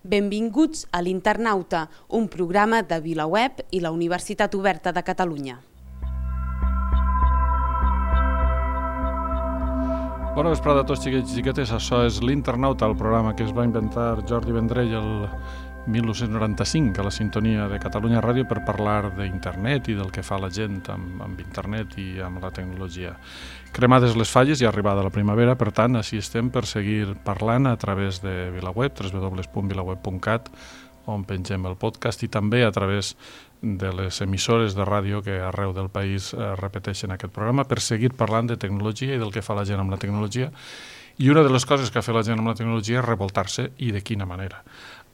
Benvinguts a l'Internauta, un programa de VilaWeb i la Universitat Oberta de Catalunya. Bona vesprada a tots, xiquets i xiquetes. Això és l'Internauta, el programa que es va inventar Jordi Vendrell el 1995 a la sintonia de Catalunya Ràdio per parlar d'internet i del que fa la gent amb internet i amb la tecnologia. Cremades les falles i arribada la primavera, per tant, així estem per seguir parlant a través de VilaWeb, www.vilaweb.cat, on pengem el podcast, i també a través de les emissores de ràdio que arreu del país repeteixen aquest programa per seguir parlant de tecnologia i del que fa la gent amb la tecnologia. I una de les coses que ha fet la gent amb la tecnologia és revoltar-se, i de quina manera.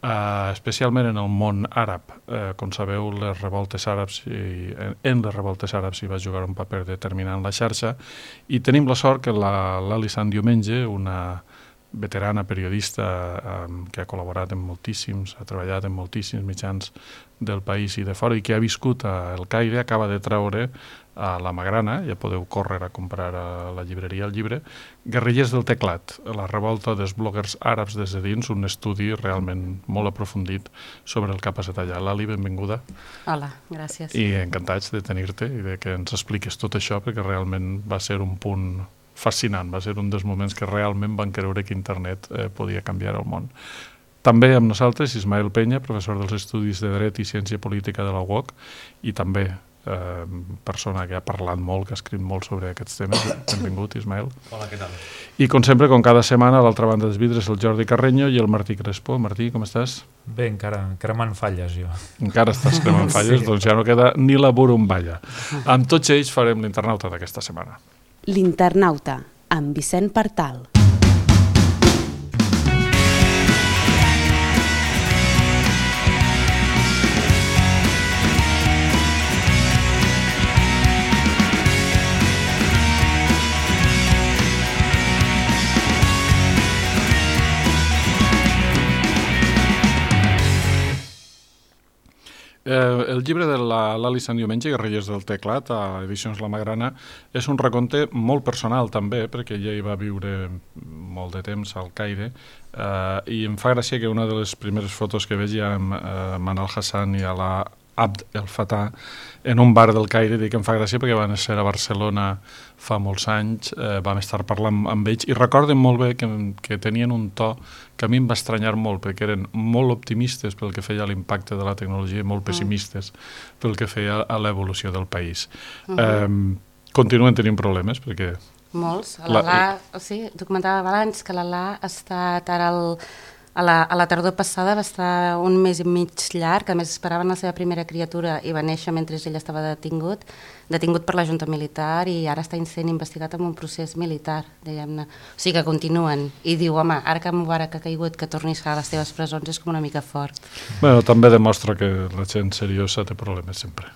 Especialment en el món àrab. Com sabeu, en les revoltes àrabs hi va jugar un paper determinant la xarxa, i tenim la sort que l'Ali Sant Diumenge, una veterana periodista que ha col·laborat en moltíssims, ha treballat en moltíssims mitjans del país i de fora i que ha viscut a El Caire, acaba de treure a la Magrana, ja podeu córrer a comprar a la llibreria el llibre, Guerrillers del teclat, la revolta dels bloggers àrabs des de dins, un estudi realment molt aprofundit sobre el que ha passat allà. Lali, benvinguda. Hola, gràcies. I encantats de tenir-te i de que ens expliques tot això, perquè realment va ser un punt fascinant, va ser un dels moments que realment van creure que internet podia canviar el món. També amb nosaltres Ismael Peña, professor dels Estudis de Dret i Ciència Política de la UOC, i també persona que ha parlat molt, que ha escrit molt sobre aquests temes. Benvingut, Ismael. Hola, què tal? I com sempre, com cada setmana, a l'altra banda dels vidres, el Jordi Carreño i el Martí Crespo. Martí, com estàs? Bé, encara cremant falles, jo. Encara estàs cremant falles? Sí. Doncs ja no queda ni la burumballa. Amb tots ells farem l'Internauta d'aquesta setmana. L'Internauta, amb Vicent Partal. El llibre de l'Ali Sant Diumenge, Guerrillers del teclat, a Edicions La Magrana, és un recompte molt personal també, perquè ella hi va viure molt de temps al Caire, i em fa gràcia que una de les primeres fotos que veig amb Manal Hassan i Alaa Abd El Fattah en un bar del Caire, dic que em fa gràcia perquè van ser a Barcelona fa molts anys, vam estar parlant amb ells i recorden molt bé que tenien un to que a mi em va estranyar molt, perquè eren molt optimistes pel que feia a l'impacte de la tecnologia i molt pessimistes pel que feia a l'evolució del país. Continuen tenint problemes perquè... Molts. Sí, t'ho comentava abans que l'Alaa ha estat ara a la tardor passada, va estar un mes i mig llarg, a més esperaven la seva primera criatura i va néixer mentre ell estava detingut per la Junta Militar, i ara està sent investigat en un procés militar, diguem-ne. O sigui que continuen. I diu, home, ara que Mubarak ha caigut, que tornis a les teves presons és com una mica fort. Bueno, també demostra que la gent seriosa té problemes sempre,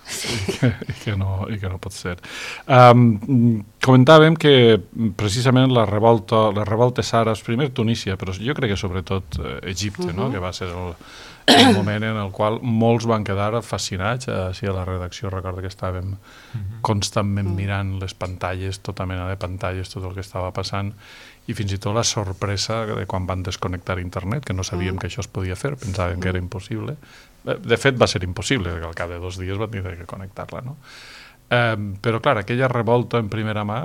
i que no pot ser. Comentàvem que precisament les revoltes àrabs, primer Tunísia, però jo crec que sobretot Egipte, no? Que va ser el moment en el qual molts van quedar fascinats. Així a la redacció recordo que estàvem constantment mirant les pantalles, tota mena de pantalles, tot el que estava passant, i fins i tot la sorpresa de quan van desconnectar internet, que no sabíem que això es podia fer, pensàvem que era impossible. De fet, va ser impossible, perquè al cap de 2 dies van tenir que connectar-la, no? Però clar, aquella revolta en primera mà,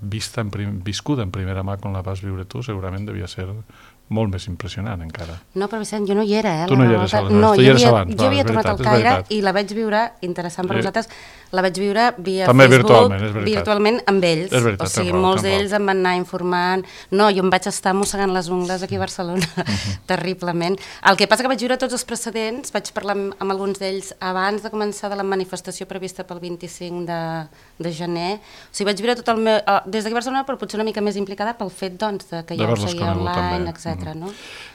viscuda en primera mà quan la vas viure tu, segurament devia ser molt més impressionant encara. No, però Vicent, jo no hi era, Tu no hi eres, no, tu hi eres abans. Jo havia tornat al Caire i la vaig viure, interessant per nosaltres, la vaig viure via també Facebook, virtualment amb ells. És veritat, o sigui, molts d'ells em van anar informant. No, jo em vaig estar mossegant les ungles aquí a Barcelona, terriblement. El que passa que vaig viure tots els precedents, vaig parlar amb alguns d'ells abans de començar de la manifestació prevista pel 25 de gener. O sigui, vaig viure tot el meu... des d'aquí a Barcelona, però potser una mica més implicada pel fet, doncs, que ja ho seguia online, etc. No?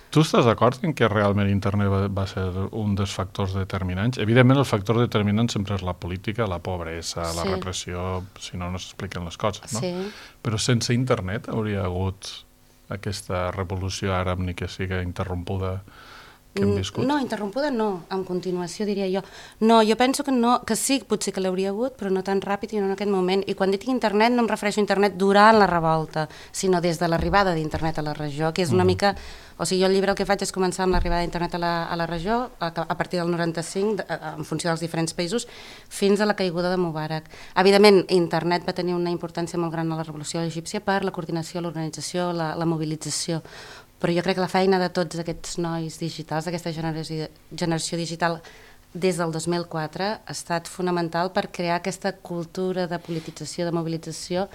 Tu estàs d'acord en que realment internet va ser un dels factors determinants? Evidentment, el factor determinant sempre és la política, la pobresa, la repressió, si no s'expliquen les coses, no? Sí. Però sense internet hauria hagut aquesta revolució àrab ni que sigui interrompuda que hem viscut? No, interrompuda no, en continuació diria jo. No, jo penso que no, que sí, potser que l'hauria hagut, però no tan ràpid i no en aquest moment. I quan dic internet no em refereixo a internet durant la revolta, sinó des de l'arribada d'internet a la regió, que és una mica... O sigui, jo el llibre el que faig és començar amb l'arribada d'internet a la regió, a partir del 95, en funció dels diferents països, fins a la caiguda de Mubarak. Evidentment, internet va tenir una importància molt gran a la revolució egípcia per la coordinació, l'organització, la mobilització, però jo crec que la feina de tots aquests nois digitals, d'aquesta generació digital, des del 2004, ha estat fonamental per crear aquesta cultura de politització, de mobilització,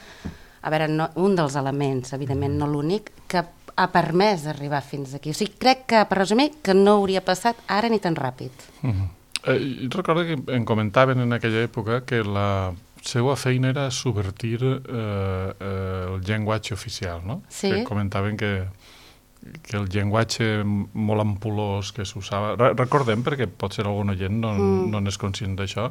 a veure, un dels elements, evidentment no l'únic, que ha permès arribar fins aquí. O sigui, crec que, per resumir, que no hauria passat ara ni tan ràpid. Recordo que em comentaven en aquella època que la seva feina era subvertir el llenguatge oficial, no? Sí. Que comentaven que el llenguatge molt ampulós que s'usava... Recordem, perquè potser algun oient no n'és conscient d'això,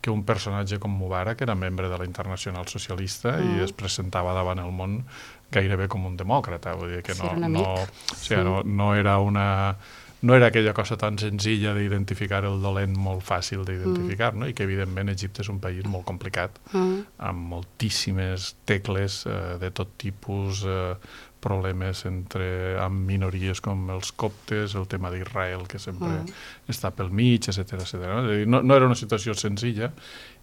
que un personatge com Mubarak era membre de la Internacional Socialista i es presentava davant el món gairebé com un demòcrata, vull dir que no era una... No era aquella cosa tan senzilla d'identificar el dolent molt fàcil d'identificar, no? I que evidentment Egipte és un país molt complicat, amb moltíssimes tecles de tot tipus, problemes amb minories com els coptes, el tema d'Israel que sempre està pel mig, etc. No era una situació senzilla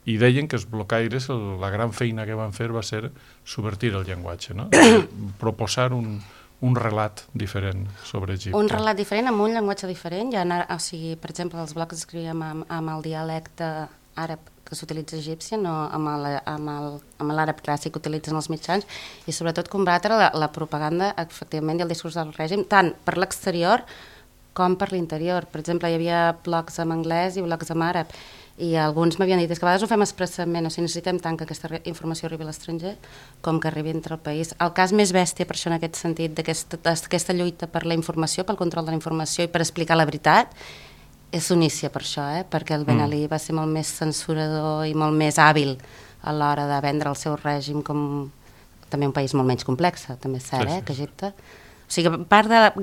i deien que els blocaires, la gran feina que van fer va ser subvertir el llenguatge, no? Proposar un relat diferent sobre Egipte. Un relat diferent amb un llenguatge diferent. O sigui, per exemple, els blocs escrivien amb el dialecte àrab que s'utilitza a Egípcia, no amb l'àrab clàssic que utilitzen els mitjans, i sobretot combatre la propaganda, efectivament, i el discurs del règim, tant per l'exterior com per l'interior. Per exemple, hi havia blocs en anglès i blocs en àrab, i alguns m'havien dit que a vegades ho fem expressament, o sigui, necessitem tant que aquesta informació arribi a l'estranger com que arribi entre el país. El cas més bèstia, per això en aquest sentit, d'aquesta lluita per la informació, pel control de la informació i per explicar la veritat, és Tunísia per això, perquè el Ben Ali va ser molt més censurador i molt més hàbil a l'hora de vendre el seu règim com també un país molt menys complex, també és cert, que Egipte. O sigui,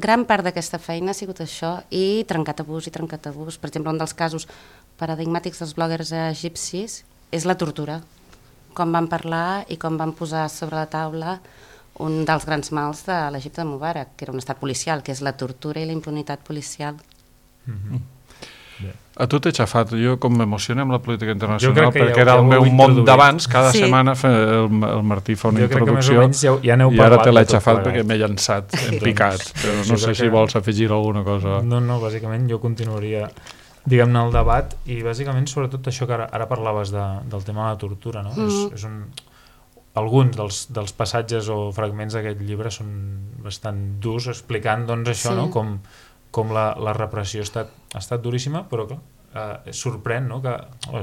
gran part d'aquesta feina ha sigut això, i trencar tabús. Per exemple, un dels casos paradigmàtics dels bloggers egipcis és la tortura, com van parlar i com van posar sobre la taula un dels grans mals de l'Egipte de Mubarak, que era un estat policial, que és la tortura i la impunitat policial. A tu t'he xafat, jo com m'emociono amb la política internacional perquè era el meu món d'abans, cada setmana el Martí fa una introducció i ara te l'he xafat perquè m'he llançat en picat, però no sé si vols afegir alguna cosa. No, bàsicament jo continuaria, diguem-ne, el debat, i bàsicament sobretot això que ara parlaves del tema de la tortura, no? Alguns dels passatges o fragments d'aquest llibre són bastant durs, explicant doncs això, no? Com la repressió ha estat duríssima, però clar, sorprèn, no?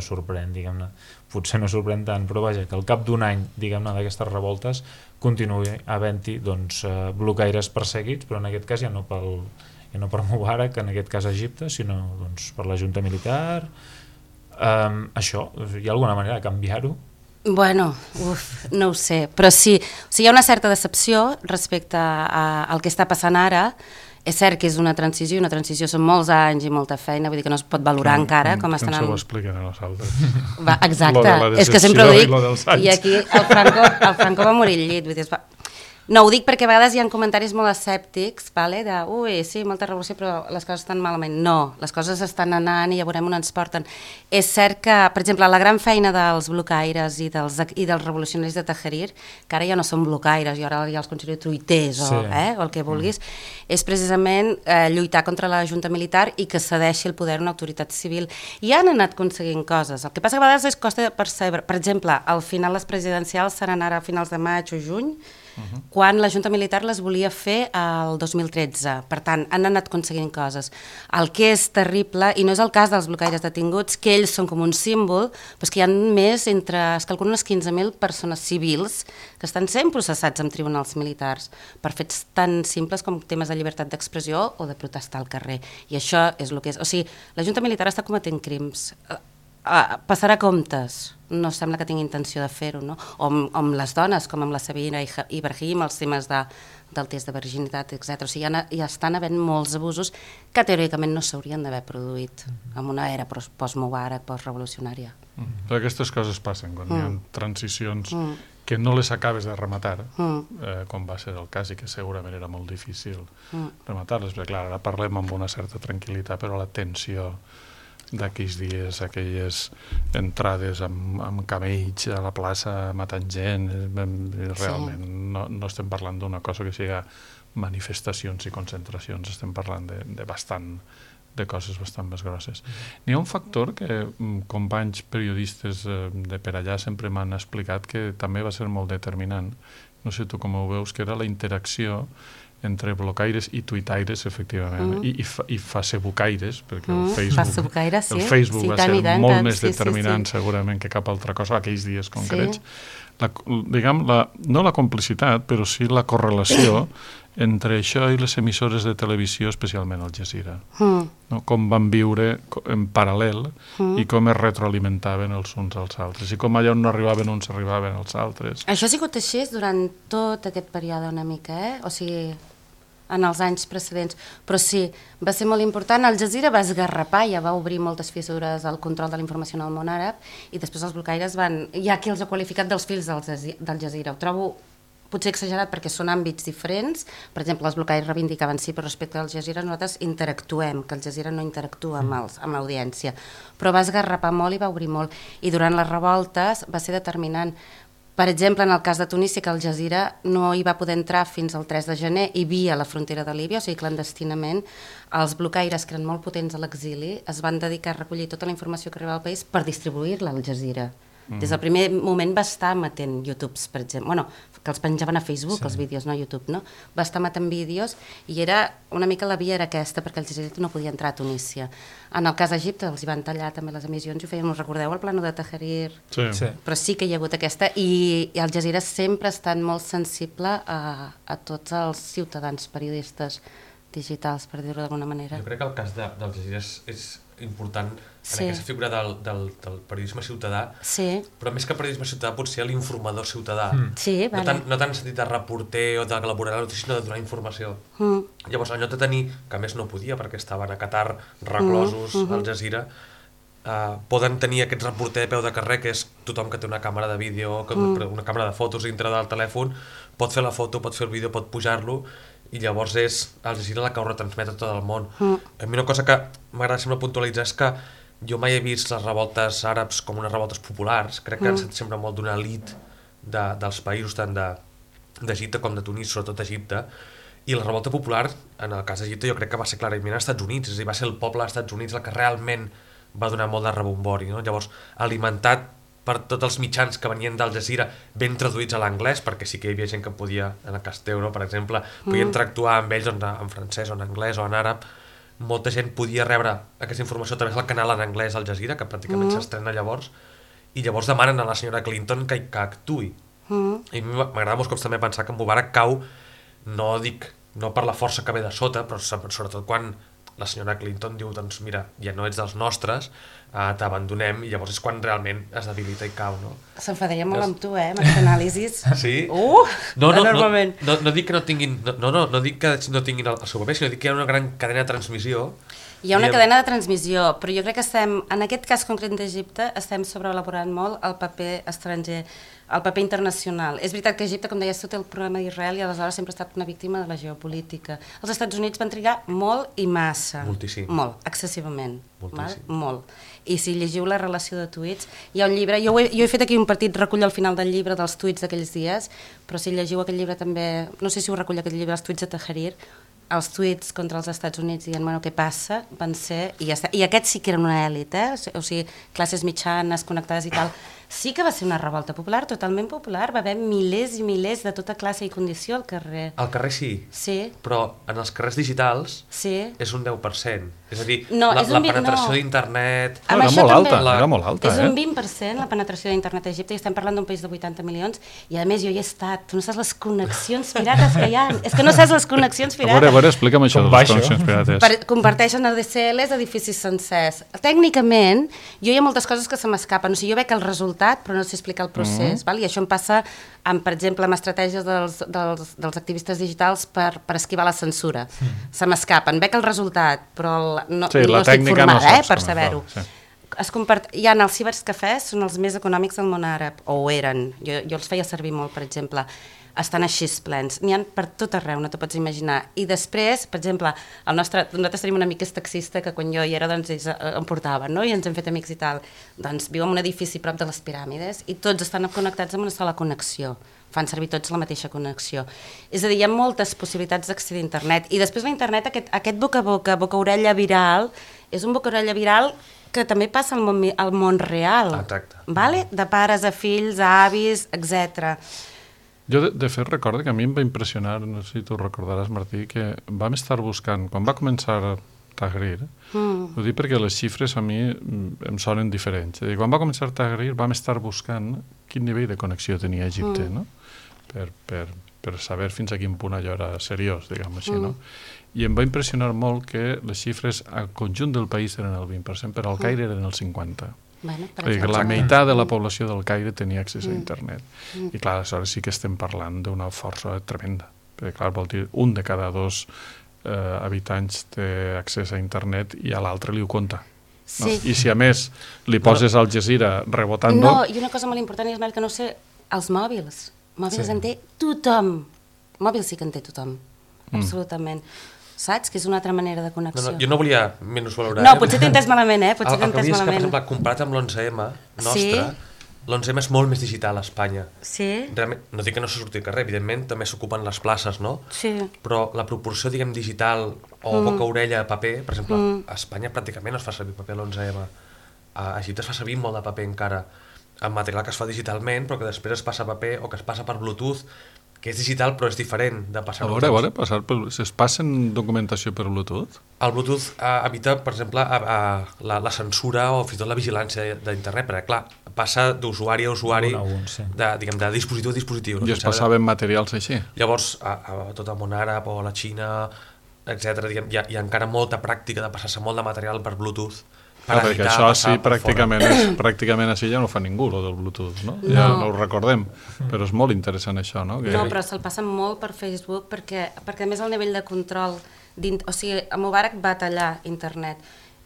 Sorprèn, diguem-ne, potser no sorprèn tant, però vaja, que al cap d'un any, diguem-ne, d'aquestes revoltes continuï havent-hi blocaires perseguits, però en aquest cas ja no per Mubarak, en aquest cas a Egipte, sinó per la junta militar. Això, hi ha alguna manera de canviar-ho? Bueno, no ho sé, però sí, o sigui, hi ha una certa decepció respecte al que està passant ara. És cert que és una transició són molts anys i molta feina, vull dir que no es pot valorar encara com estan... Que ens ho expliquen a nosaltres. Exacte, és que sempre ho dic, i aquí el Franco va morir al llit, vull dir, no, ho dic perquè a vegades hi ha comentaris molt escèptics, de, sí, molta revolució, però les coses estan malament. No, les coses estan anant i ja veurem on ens porten. És cert que, per exemple, la gran feina dels blocaires i dels revolucionaris de Tahrir, que ara ja no són blocaires, i ara ja els considero truiters o el que vulguis, és precisament lluitar contra la junta militar i que cedeixi el poder a una autoritat civil. I han anat aconseguint coses. El que passa que a vegades és costa percebre. Per exemple, al final les presidencials seran ara a finals de maig o juny, quan la junta militar les volia fer el 2013. Per tant, han anat aconseguint coses. El que és terrible, i no és el cas dels blocaires detinguts, que ells són com un símbol, però és que hi ha més es calculen unes 15.000 persones civils que estan sent processats en tribunals militars per fets tan simples com temes de llibertat d'expressió o de protestar al carrer. I això és el que és. O sigui, la junta militar està cometent crims. passarà comptes. No sembla que tingui intenció de fer-ho, no? O amb les dones, com amb la Sabina Ibrahim, els temes del test de virginitat, etc. O sigui, ja estan havent molts abusos que teòricament no s'haurien d'haver produït en una era post-Mubarak, post-revolucionària. Però aquestes coses passen quan hi ha transicions que no les acabes de rematar, com va ser el cas i que segurament era molt difícil rematar-les, perquè clar, ara parlem amb una certa tranquil·litat, però la tensió d'aquells dies, aquelles entrades amb camells a la plaça matant gent, realment no estem parlant d'una cosa que sigui manifestacions i concentracions, estem parlant de coses bastant més grosses. N'hi ha un factor que companys periodistes de per allà sempre m'han explicat que també va ser molt determinant, no sé tu com ho veus, que era la interacció entre blocaires i tuitaires, efectivament, i facebookaires, perquè el Facebook va ser molt més determinant segurament que cap altra cosa aquells dies concrets. No la complicitat, però sí la correlació entre això i les emissores de televisió, especialment Al Jazeera. Com van viure en paral·lel i com es retroalimentaven els uns als altres, i com allà on no arribaven uns arribaven als altres. Això ha sigut així durant tot aquest període una mica, o sigui, en els anys precedents, però sí, va ser molt important. Al Jazeera va esgarrapar, ja va obrir moltes fissures al control de la informació en el món àrab, i després els blocaires hi ha qui els ha qualificat dels fills del Jazeera. Ho trobo potser exagerat perquè són àmbits diferents. Per exemple, els blocaires reivindicaven sí, però respecte al Jazeera nosaltres interactuem, que el Jazeera no interactua amb l'audiència. Però va esgarrapar molt i va obrir molt. I durant les revoltes va ser determinant. Per exemple, en el cas de Tunísia, que el Jazeera no hi va poder entrar fins al 3 de gener i via la frontera de Líbia, o sigui, clandestinament, els blocaires, que eren molt potents a l'exili, es van dedicar a recollir tota la informació que arribava al país per distribuir-la al Jazeera. Des del primer moment va estar emetent YouTubes, per exemple, que els penjaven a Facebook, els vídeos, no a YouTube, no? Va estar emetent vídeos i una mica la via era aquesta, perquè el Jazeera no podia entrar a Tunísia. En el cas d'Egipte els hi van tallar també les emissions i ho feien, us recordeu el plano de Tahrir? Sí. Però sí que hi ha hagut aquesta, i el Jazeera sempre ha estat molt sensible a tots els ciutadans periodistes digitals, per dir-ho d'alguna manera. Jo crec que el cas del Jazeera és important en aquesta figura del periodisme ciutadà, però més que periodisme ciutadà potser l'informador ciutadà, no tant en sentit de reporter o d'elaborar la notícia, sinó de donar informació. Llavors, en lloc de tenir, que a més no podia perquè estaven a Qatar reclosos al Jazeera, poden tenir aquest reporter de peu de carrer, que és tothom que té una càmera de vídeo, una càmera de fotos dintre del telèfon, pot fer la foto, pot fer el vídeo, pot pujar-lo, i llavors és Al Jazeera la que ho retransmet a tot el món. A mi una cosa que m'agrada sempre puntualitzar és que jo mai he vist les revoltes àrabs com unes revoltes populars, crec que han estat sempre molt d'una elit dels països, tant d'Egipte com de Tunis, sobretot d'Egipte, i la revolta popular, en el cas d'Egipte, jo crec que va ser clarament als Estats Units, és a dir, va ser el poble dels Estats Units el que realment va donar molt de rebombori, no? Llavors, alimentat per tots els mitjans que venien d'Al Jazeera ben traduïts a l'anglès, perquè sí que hi havia gent que podia, en el cas d'Euro, per exemple, podia interactuar amb ells en francès o en anglès o en àrab, molta gent podia rebre aquesta informació a través del canal en anglès Al Jazeera, que pràcticament s'estrena llavors, i llavors demanen a la senyora Clinton que actuï. I a mi m'agrada molts cops també pensar que Mubarak cau, no per la força que ve de sota, però sobretot quan la senyora Clinton diu, doncs mira, ja no ets dels nostres, t'abandonem, i llavors és quan realment es debilita i cau, no? S'enfadaria molt amb tu, amb aquest anàlisis. Sí? Enormement. No dic que no tinguin, no dic que no tinguin el seu paper, sinó dic que hi ha una gran cadena de transmissió. Hi ha una cadena de transmissió, però jo crec que en aquest cas concret d'Egipte, estem sobreelaborant molt el paper estranger, el paper internacional. És veritat que Egipte, com deies tu, té el problema d'Israel i aleshores sempre ha estat una víctima de la geopolítica. Els Estats Units van trigar molt i massa. Moltíssim. Molt, excessivament. Moltíssim. Molt. I si llegiu la relació de tuits, hi ha un llibre, jo he fet aquí un petit recull al final del llibre dels tuits d'aquells dies, però si llegiu aquell llibre també, no sé si ho recull aquest llibre, els tuits de Tahrir, els tuits contra els Estats Units dient, bueno, què passa, van ser, i aquests sí que eren una èlit, o sigui, classes mitjanes, connectades i tal, Sí que va ser una revolta popular, totalment popular. Va haver milers i milers de tota classe i condició al carrer. Al carrer sí, sí. Però en els carrers digitals és un 10%. És a dir, la penetració d'internet... Era molt alta. És un 20% la penetració d'internet a Egipte, i estem parlant d'un país de 80 milions, i a més jo hi he estat. Tu no saps les connexions pirates que hi ha. És que no saps les connexions pirates. A veure, explica'm això de les connexions pirates. Comparteixen ADSLs, edificis sencers. Tècnicament, jo hi ha moltes coses que se m'escapen. O sigui, jo veig el resultat, però no sé explicar el procés. I això em passa, per exemple, amb estratègies dels activistes digitals per esquivar la censura. Se m'escapen. Veig el resultat, però no estic formada per saber-ho. Hi ha els cibercafès, són els més econòmics del món àrab, o ho eren. Jo els feia servir molt, per exemple. Estan així plens. N'hi ha per tot arreu, no t'ho pots imaginar. I després, per exemple, nosaltres tenim un amic que és taxista, que quan jo hi era, doncs, ells em portaven, no? I ens hem fet amics i tal. Doncs viu en un edifici prop de les piràmides i tots estan connectats amb una sola connexió. Fan servir tots la mateixa connexió. És a dir, hi ha moltes possibilitats d'accedir a internet. I després l'internet, aquest boca a boca, boca-orella viral, és un boca-orella viral que també passa al món real. Exacte. De pares a fills, a avis, etc. Jo, de fet, recordo que a mi em va impressionar, no sé si tu recordaràs, Martí, que vam estar buscant, quan va començar Tahrir, ho dic perquè les xifres a mi em sonen diferents. Quan va començar Tahrir vam estar buscant quin nivell de connexió tenia Egipte, no? Per saber fins a quin punt allò era seriós, diguem així, no? I em va impressionar molt que les xifres al conjunt del país eren el 20%, però al Caire eren el 50%. La meitat de la població del Caire tenia accés a internet. I clar, aleshores sí que estem parlant d'una força tremenda. Perquè clar, vol dir, un de cada dos habitants té accés a internet i a l'altre li ho compta. I si a més li poses Al Jazeera rebotant... No, i una cosa molt important és que no sé, els mòbils. Mòbils en té tothom. Mòbils sí que en té tothom, absolutament. Saps? Que és una altra manera de connexió. Jo no volia menysvalorar. No, potser t'he entès malament, Potser t'he entès malament. El que vull dir és que, per exemple, comparat amb l'11M nostre, l'11M és molt més digital a Espanya. Sí. Realment, no dic que no se surti al carrer, evidentment, també s'ocupen les places, no? Sí. Però la proporció, diguem, digital o boca-orella paper, per exemple, a Espanya pràcticament no es fa servir paper a l'11M. A Egipte es fa servir molt de paper encara, amb material que es fa digitalment, però que després es passa a paper o que es passa per Bluetooth, que és digital però és diferent de passar... A veure, es passen documentació per Bluetooth? El Bluetooth evita, per exemple, la censura o fins i tot la vigilància d'internet, perquè, clar, passa d'usuari a usuari, de dispositiu a dispositiu. I es passaven materials així? Llavors, a tot el món àrab o a la Xina, etc., hi ha encara molta pràctica de passar-se molt de material per Bluetooth. Perquè això sí, pràcticament així ja no fa ningú, el del Bluetooth, no? Ja no ho recordem, però és molt interessant això, no? No, però se'l passa molt per Facebook perquè a més el nivell de control... O sigui, Mubarak va tallar internet.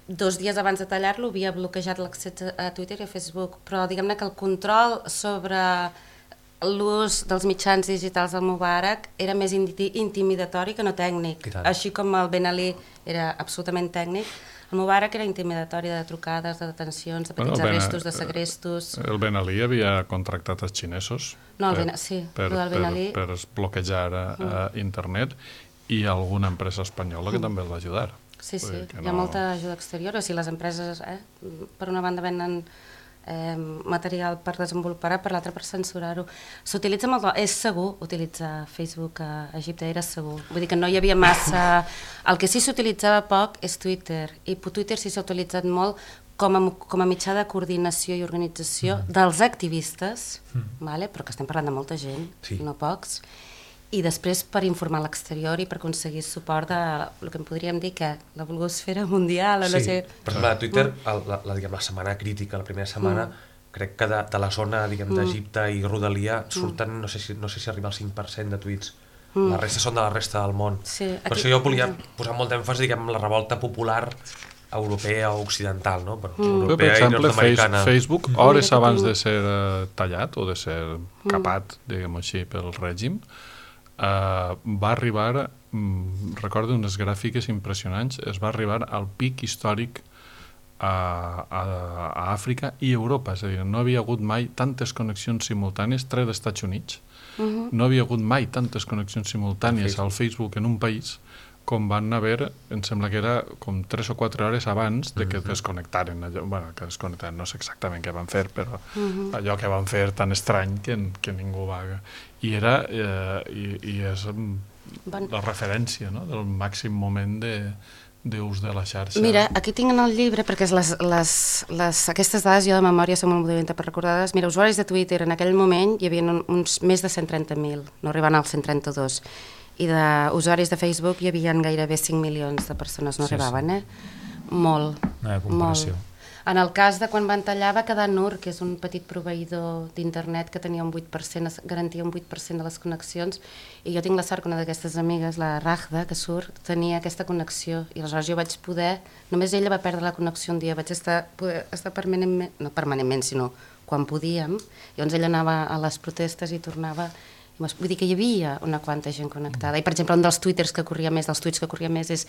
2 dies abans de tallar-lo havia bloquejat l'accés a Twitter i a Facebook, però diguem-ne que el control sobre l'ús dels mitjans digitals del Mubarak era més intimidatori que no tècnic. Així com el Ben Ali era absolutament tècnic, el Mubarak era intimidatori de trucades, de detencions, de petits arrestos, de segrestos... El Ben Ali havia contractat els xinesos per bloquejar internet i alguna empresa espanyola que també el va ajudar. Sí, hi ha molta ajuda exterior. O sigui, les empreses, per una banda, venen material per desenvolupar, per l'altra per censurar-ho. S'utilitza molt, és segur utilitzar Facebook a Egipte, era segur. Vull dir que no hi havia massa... El que sí s'utilitzava poc és Twitter, i Twitter sí s'ha utilitzat molt com a mitjà de coordinació i organització dels activistes, però que estem parlant de molta gent, no pocs, i després per informar l'exterior i per aconseguir suport de el que en podríem dir que la blogosfera mundial... Sí, per exemple, a Twitter, la setmana crítica, la primera setmana, crec que de la zona d'Egipte i Rodalia surten, no sé si arriba al 5% de tuits. La resta són de la resta del món. Per això jo volia posar molt d'èmfasi en la revolta popular europea o occidental, no? Per exemple, Facebook, hores abans de ser tallat o de ser capat, diguem així, pel règim, va arribar, recordo unes gràfiques impressionants, es va arribar al pic històric a Àfrica i Europa, és a dir, no havia hagut mai tantes connexions simultànies, tret d'Estats Units, no havia hagut mai tantes connexions simultànies al Facebook en un país com van haver, em sembla que era com 3 o 4 hores abans de que desconnectaren allò, bueno, que desconnectaren, no sé exactament què van fer, però allò que van fer tan estrany que ningú va... I era, i és la referència, no?, del màxim moment d'ús de la xarxa. Mira, aquí tinc en el llibre, perquè aquestes dades jo de memòria som molt dolenta per recordar-les. Mira, usuaris de Twitter en aquell moment hi havia uns més de 130.000, no arribant als 132, i d'usuaris de Facebook hi havia gairebé 5 milions de persones, no arribaven, Molt, molt. En el cas de quan van tallar va quedar Nur, que és un petit proveïdor d'internet que tenia un 8%, garantia un 8% de les connexions, i jo tinc la sort que una d'aquestes amigues, la Ragda, que surt, tenia aquesta connexió, i aleshores jo vaig poder, només ella va perdre la connexió un dia, vaig estar permanentment, no permanentment, sinó quan podíem, llavors ella anava a les protestes i tornava, vull dir que hi havia una quanta gent connectada, i per exemple un dels tuits que corria més és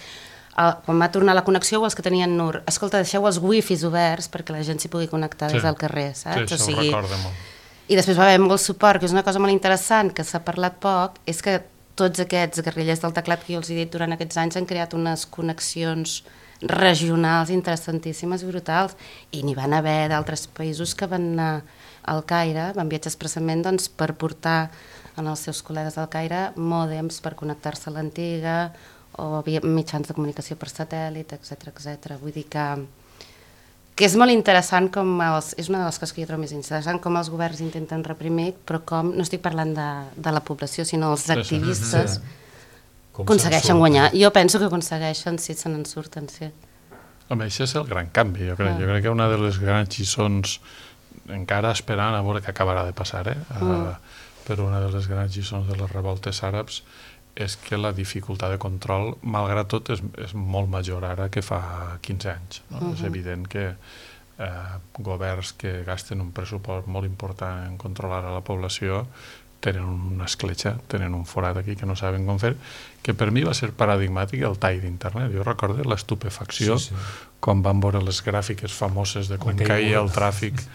quan va tornar la connexió o els que tenien Nur, escolta, deixeu els wifis oberts perquè la gent s'hi pugui connectar des del carrer, saps? Sí, això ho recorda molt. I després va haver molt suport, que és una cosa molt interessant, que s'ha parlat poc, és que tots aquests guerrillers del teclat que jo els he dit durant aquests anys han creat unes connexions regionals interessantíssimes i brutals, i n'hi van haver d'altres països que van anar al Caire, van viatjar expressament per portar als seus col·legues del Caire mòdems per connectar-se a l'antiga, o mitjans de comunicació per satèl·lit, etc. Vull dir que és molt interessant és una de les coses que jo trobo més interessant, com els governs intenten reprimir, però com, no estic parlant de la població, sinó els activistes aconsegueixen guanyar. Jo penso que aconsegueixen, si se n'en surten, sí. Home, això és el gran canvi, jo crec. Jo crec que una de les grans lliçons, encara esperant a veure què acabarà de passar, però una de les grans lliçons de les revoltes àrabs és que la dificultat de control, malgrat tot, és molt major ara que fa 15 anys. És evident que governs que gasten un pressupost molt important en controlar a la població tenen una escletxa, tenen un forat aquí que no saben com fer, que per mi va ser paradigmàtic el tall d'internet. Jo recordo l'estupefacció quan van veure les gràfiques famoses de com caia el tràfic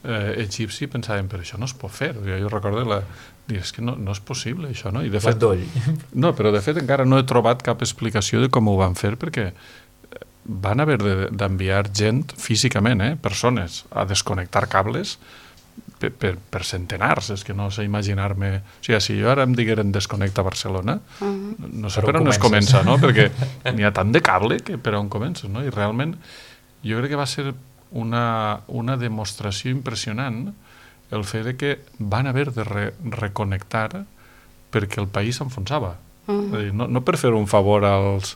egipci, pensàvem, però això no es pot fer. Jo recordo és que no és possible això, no? I de fet, no, però de fet encara no he trobat cap explicació de com ho van fer, perquè van haver d'enviar gent físicament, persones, a desconnectar cables per centenars. És que no sé imaginar-me... O sigui, si jo ara em digueren desconnecta Barcelona, no sé per on es comença, no? Perquè n'hi ha tant de cable que per on comences, no? I realment jo crec que va ser una demostració impressionant el fet que van haver de reconnectar perquè el país s'enfonsava. No per fer un favor als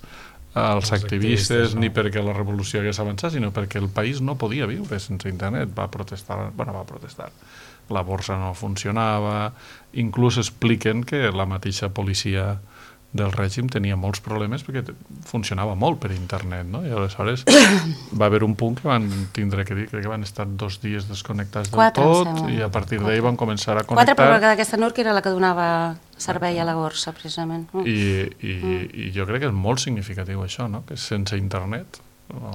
activistes ni perquè la revolució hagués avançat, sinó perquè el país no podia viure sense internet. Va protestar. La borsa no funcionava, inclús expliquen que la mateixa policia del règim tenia molts problemes perquè funcionava molt per internet, no? I aleshores va haver un punt que van tindre que dir, crec que van estar 2 dies desconnectats del tot, i a partir d'ahir van començar a connectar. 4, però d'aquesta Nur, que era la que donava servei a la borsa, precisament. I jo crec que és molt significatiu això, no? Que sense internet...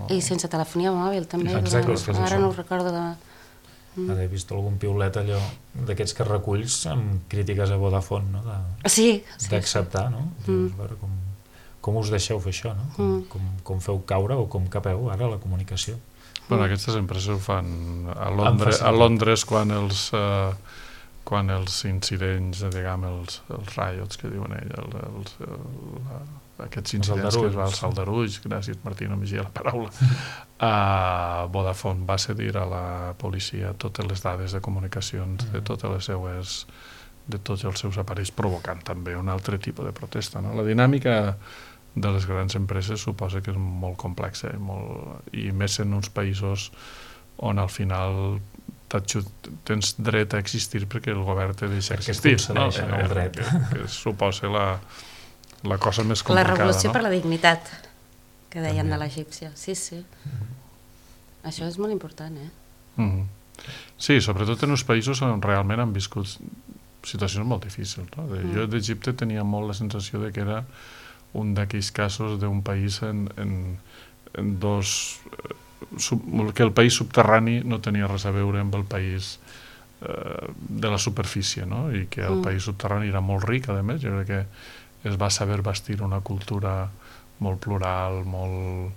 I sense telefonia mòbil, també. Ara no ho recordo de... He vist algun piulet allò d'aquests que reculls amb crítiques a Vodafone, no? D'acceptar, no? Veure com us deixeu fer això, no? Com feu caure o com capeu ara la comunicació. Bueno, aquestes empreses ho fan a Londres quan els incidents, diguem, els riots que diuen ells, aquests incidents que es va alçar el Aldarulls, gràcies Martí, no m'hi la paraula, Vodafone va cedir a la policia totes les dades de comunicacions de tots els seus aparells, provocant també un altre tipus de protesta, no? La dinàmica de les grans empreses suposa que és molt complexa i més en uns països on al final tens dret a existir perquè el govern te deixa existir, no? Que suposa la cosa més complicada. La revolució per la dignitat, que deien de l'egípcia. Sí. Això és molt important, Sí, sobretot en uns països on realment han viscut situacions molt difícils, no? Jo d'Egipte tenia molt la sensació de que era un d'aquells casos d'un país en dos... que el país subterrani no tenia res a veure amb el país de la superfície, no? I que el país subterrani era molt ric, a més. Jo crec que es va saber bastir una cultura molt plural, molt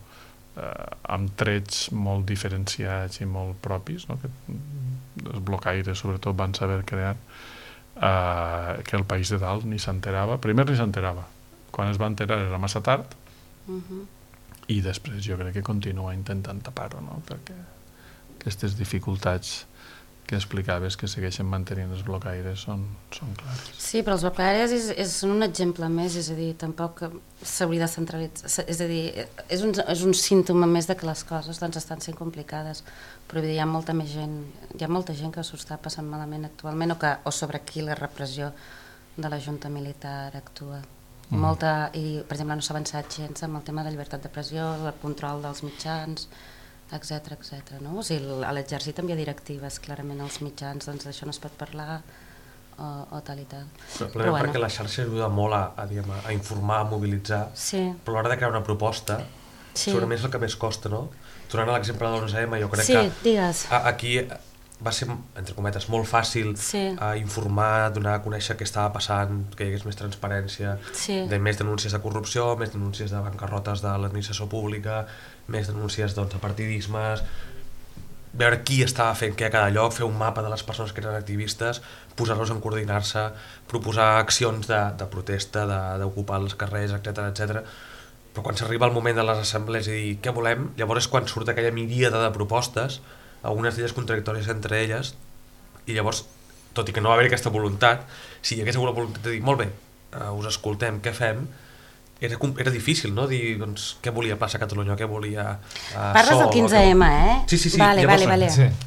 amb trets molt diferenciats i molt propis, no? Que els blocaires sobretot van saber crear, que el país de dalt ni s'enterava. Primer ni s'enterava, quan es va enterar era massa tard, i després jo crec que continua intentant tapar-ho, no? Perquè aquestes dificultats que explicaves que segueixen mantenint els blocaires són clares. Sí, però els blocaires són un exemple més, és a dir, tampoc s'hauria de centralitzar, és a dir, és un símptoma més de que les coses doncs, estan sent complicades, però hi ha molta gent que s'ho està passant malament actualment o sobre qui la repressió de la junta militar actua. I, per exemple, no s'ha avançat gens amb el tema de llibertat de pressió, el control dels mitjans, etc. No? O sigui, a l'exèrcit també hi ha directives, clarament als mitjans, doncs d'això no es pot parlar o tal i tal. Però bueno. Perquè la xarxa ajuda molt a informar, a mobilitzar, però a l'hora de crear una proposta, segurament és el que més costa, no? Tornant a l'exemple de l'11M, jo crec que aquí va ser, entre cometes, molt fàcil informar, donar a conèixer què estava passant, que hi hagués més transparència, de més denúncies de corrupció, més denúncies de bancarrotes de l'administració pública, més denúncies de partidismes, veure qui estava fent què a cada lloc, fer un mapa de les persones que eren activistes, posar-los en coordinar-se, proposar accions de protesta, d'ocupar els carrers, etc. Però quan s'arriba el moment de les assemblees i dir què volem, llavors és quan surt aquella miríada de propostes, algunes d'elles contradictòries entre elles, i llavors, tot i que no va haver aquesta voluntat, si hi hagués hagut la voluntat de dir molt bé, us escoltem, què fem, era difícil, no? Dir, doncs, què volia Plaça Catalunya, què volia Parles del 15M, Sí. Vale.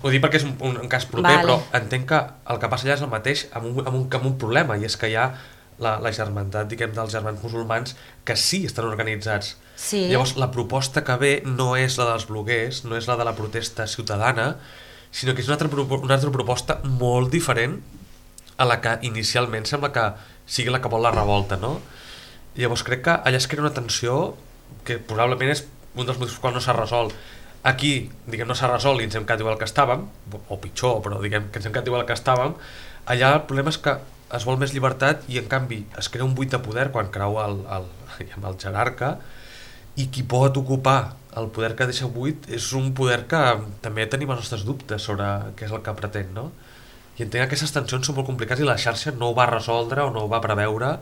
Ho dic perquè és un cas proper, però entenc que el que passa allà és el mateix amb un problema, i és que hi ha la germandat, diguem, dels germans musulmans que sí estan organitzats. Llavors, la proposta que ve no és la dels bloguers, no és la de la protesta ciutadana, sinó que és una altra proposta molt diferent a la que inicialment sembla que sigui la que vol la revolta, no? Llavors crec que allà es crea una tensió que probablement és un dels motius que no s'ha resolt. Aquí, diguem, no s'ha resolt i ens hem quedat igual que estàvem, o pitjor, però diguem que ens hem quedat igual que estàvem. Allà el problema és que es vol més llibertat i en canvi es crea un buit de poder quan creu el jerarca, i qui pot ocupar el poder que deixa buit és un poder que també tenim els nostres dubtes sobre què és el que pretén, no? I entenc que aquestes tensions són molt complicades i la xarxa no ho va resoldre o no ho va preveure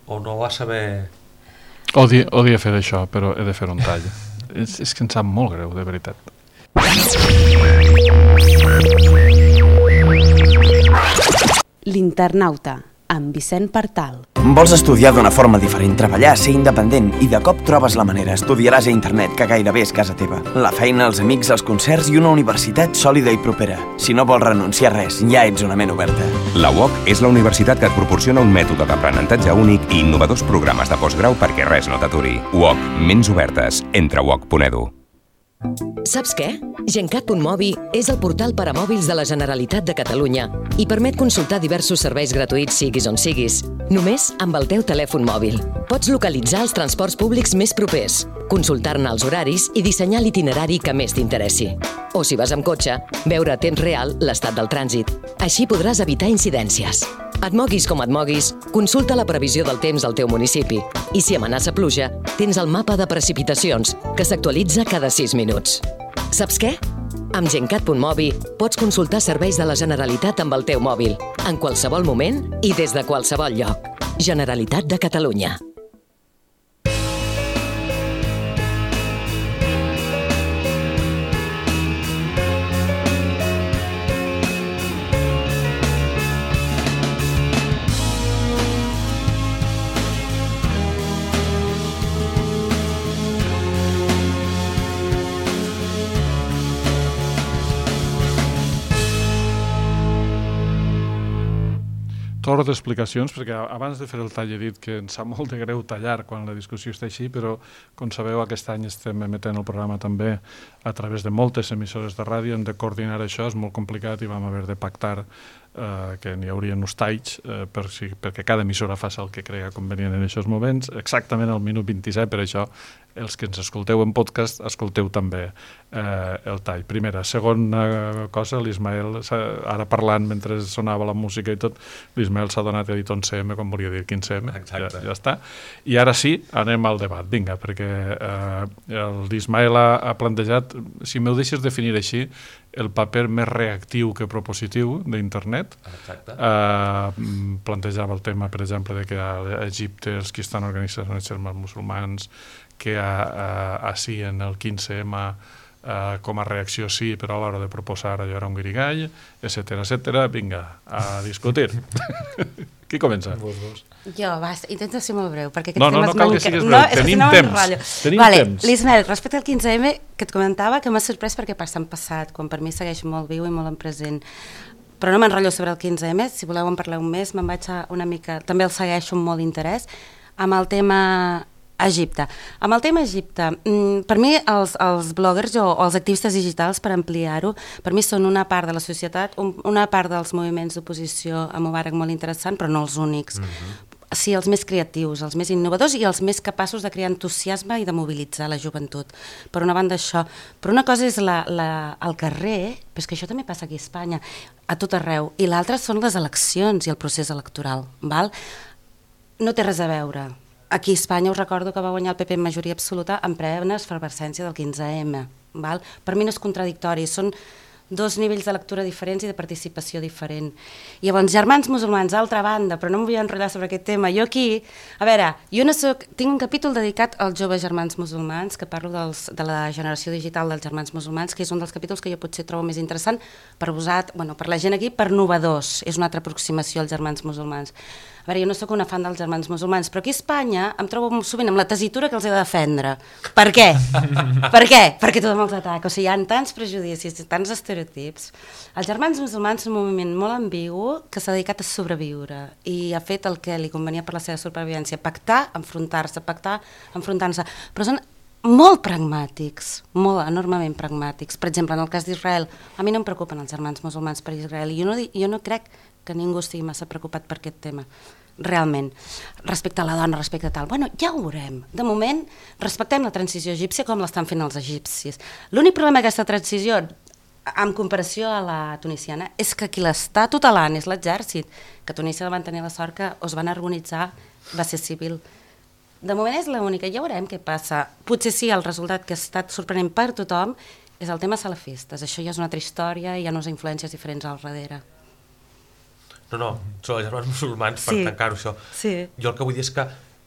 o no va saber... Odia fer això, però he de fer un tall. És que em sap molt greu, de veritat. L'internauta, amb Vicent Partal. Vols estudiar d'una forma diferent, treballar, ser independent i de cop trobes la manera, estudiaràs a internet, que gairebé és casa teva. La feina, els amics, els concerts i una universitat sòlida i propera. Si no vols renunciar a res, ja ets una ment oberta. La UOC és la universitat que et proporciona un mètode d'aprenentatge únic i innovadors programes de postgrau perquè res no t'aturi. UOC, ments obertes. Entra a uoc.edu. Saps què? Gencat.mobi és el portal per a mòbils de la Generalitat de Catalunya i permet consultar diversos serveis gratuïts siguis on siguis, només amb el teu telèfon mòbil. Pots localitzar els transports públics més propers, consultar-ne els horaris i dissenyar l'itinerari que més t'interessi. O si vas amb cotxe, veure a temps real l'estat del trànsit. Així podràs evitar incidències. Et moguis com et moguis, consulta la previsió del temps al teu municipi. I si amenaça pluja, tens el mapa de precipitacions, que s'actualitza cada 6 minuts. Saps què? Amb Gencat.mobi pots consultar serveis de la Generalitat amb el teu mòbil, en qualsevol moment i des de qualsevol lloc. Generalitat de Catalunya. Torre d'explicacions, perquè abans de fer el tall he dit que ens sap molt de greu tallar quan la discussió està així, però com sabeu aquest any estem emetent el programa també a través de moltes emissores de ràdio, hem de coordinar això, és molt complicat i vam haver de pactar que n'hi haurien uns talls perquè cada emissora faci el que cregui convenient en aquests moments, exactament al minut 27, per això els que ens escolteu en podcast, escolteu també el tall. Primera. Segona cosa, l'Ismael, ara parlant mentre sonava la música i tot, l'Ismael s'ha donat a dir 11M quan volia dir 15M. Ja està. I ara sí, anem al debat. Vinga, perquè l'Ismael ha plantejat, si m'ho deixes definir així, el paper més reactiu que propositiu d'internet. Plantejava el tema, per exemple, de que a Egipte els que estan organitzats són els germans musulmans, que així en el 15M com a reacció sí, però a l'hora de proposar allò era un guirigall, etcètera. Vinga, a discutir. Qui comença? Jo, intento ser molt breu, perquè no cal que siguis breu, tenim temps. L'Ismael, respecte al 15M, que et comentava que m'ha sorprès perquè passa en passat, quan per mi segueix molt viu i molt en present. Però no m'enrotllo sobre el 15M, si voleu en parlar un mes, me'n vaig a una mica, també el segueixo amb molt interès, amb el tema Egipte. Amb el tema Egipte, per mi els bloggers o els activistes digitals, per ampliar-ho, per mi són una part de la societat, una part dels moviments d'oposició a Mubarak molt interessant, però no els únics. Sí, els més creatius, els més innovadors i els més capaços de crear entusiasme i de mobilitzar la joventut. Per una banda això. Però una cosa és el carrer, però és que això també passa aquí a Espanya, a tot arreu, i l'altra són les eleccions i el procés electoral. Val? No té res a veure. Aquí a Espanya us recordo que va guanyar el PP en majoria absoluta en plena efervescència del 15M. Val? Per mi no és contradictori, són dos nivells de lectura diferents i de participació diferent. I llavors, germans musulmans, altra banda, però no m'ho vull enrotllar sobre aquest tema. Jo aquí, a veure, tinc un capítol dedicat als joves germans musulmans, que parlo de la generació digital dels germans musulmans, que és un dels capítols que jo potser trobo més interessant per la gent aquí, per novedors. És una altra aproximació als germans musulmans. A veure, jo no sóc una fan dels germans musulmans, però aquí a Espanya em trobo sovint amb la tessitura que els he de defendre. Per què? Per què? Perquè tothom els ataca. O sigui, hi ha tants prejudicis, tants estereotips. Els germans musulmans són un moviment molt ambigu que s'ha dedicat a sobreviure i ha fet el que li convenia per la seva supervivència, pactar, enfrontar-se, però són molt pragmàtics, molt enormement pragmàtics. Per exemple, en el cas d'Israel, a mi no em preocupen els germans musulmans per Israel i jo no crec que ningú estigui massa preocupat per aquest tema, realment. Respecte a la dona, respecte a tal. Bueno, ja ho veurem. De moment, respectem la transició egípcia com l'estan fent els egipcis. L'únic problema d'aquesta transició, en comparació a la tunisiana, és que qui l'està tutelant és l'exèrcit, que a Tunísia van tenir la sort que es van organitzar, va ser civil. De moment és l'única, ja veurem què passa. Potser sí, el resultat que ha estat sorprenent per tothom és el tema salafistes. Això ja és una altra història i hi ha unes influències diferents al darrere. No, són els germans musulmans per tancar-ho això. Jo el que vull dir és que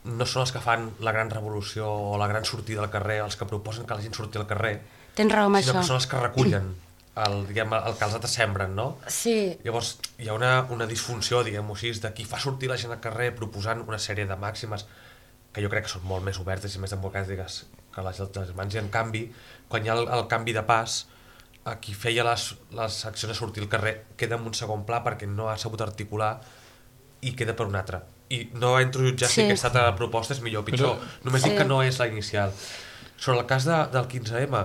no són els que fan la gran revolució o la gran sortida al carrer, els que proposen que la gent surti al carrer, tens raó amb això, sinó que són els que recullen el que els altres sembren, no? Sí. Llavors hi ha una disfunció, diguem-ho així, de qui fa sortir la gent al carrer proposant una sèrie de màximes que jo crec que són molt més obertes i més democràtiques que les germans, i en canvi, quan hi ha el canvi de pas, a qui feia les accions a sortir al carrer queda en un segon pla perquè no ha sabut articular i queda per un altre. I no entro a jutjar si aquesta proposta és millor o pitjor, només dic que no és la inicial. Sobre el cas del 15M,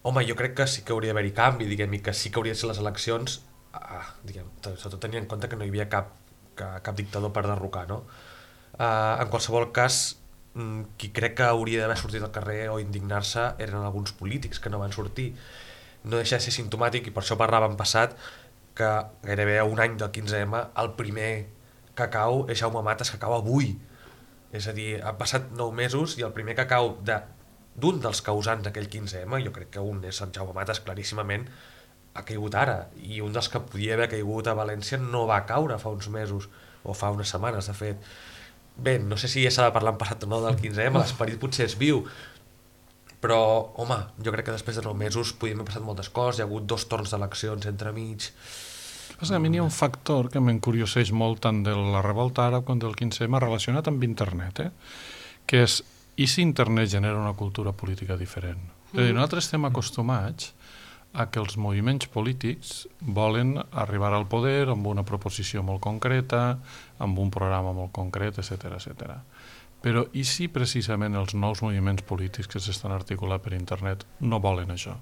home, jo crec que sí que hauria d'haver-hi canvi, diguem, i que sí que hauria de ser les eleccions, sobretot tenint en compte que no hi havia cap dictador per derrocar, no? En qualsevol cas, qui crec que hauria d'haver sortit al carrer o indignar-se eren alguns polítics que no van sortir. No deixa de ser simptomàtic, i per això parlàvem passat, que gairebé a un any del 15M el primer que cau és Jaume Matas, que cau avui. És a dir, han passat 9 mesos i el primer que cau d'un dels causants d'aquell 15M, jo crec que un és en Jaume Matas claríssimament, ha caigut ara, i un dels que podia haver caigut a València no va caure fa uns mesos, o fa unes setmanes de fet. Bé, no sé si ja s'ha de parlar en passat o no del 15M, l'esperit potser és viu, però, home, jo crec que després de 9 mesos podien haver passat moltes coses, hi ha hagut 2 torns d'eleccions entremig. A mi hi ha un factor que m'encurioseix molt tant de la revolta àrab com del 15M relacionat amb internet, que és, i si internet genera una cultura política diferent? És a dir, nosaltres estem acostumats a que els moviments polítics volen arribar al poder amb una proposició molt concreta, amb un programa molt concret, etc. Però i si precisament els nous moviments polítics que s'estan articulant per internet no volen això?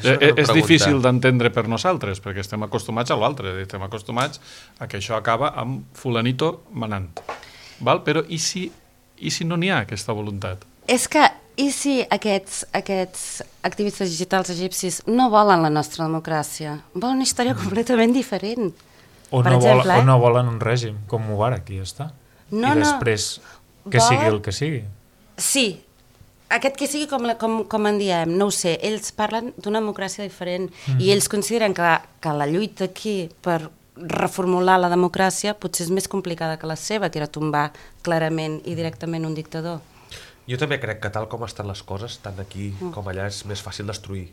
És difícil d'entendre per nosaltres, perquè estem acostumats a l'altre, estem acostumats a que això acaba amb fulanito manant. Però i si no n'hi ha aquesta voluntat? És que, i si aquests activistes digitals egipcis no volen la nostra democràcia? Volen una història completament diferent. O no volen un règim, com Mubarak, i ja està. I després que sigui el que sigui. Sí, aquest que sigui com en diem, no ho sé, ells parlen d'una democràcia diferent i ells consideren que la lluita aquí per reformular la democràcia potser és més complicada que la seva, que era tombar clarament i directament un dictador. Jo també crec que tal com estan les coses, tant aquí com allà, és més fàcil destruir.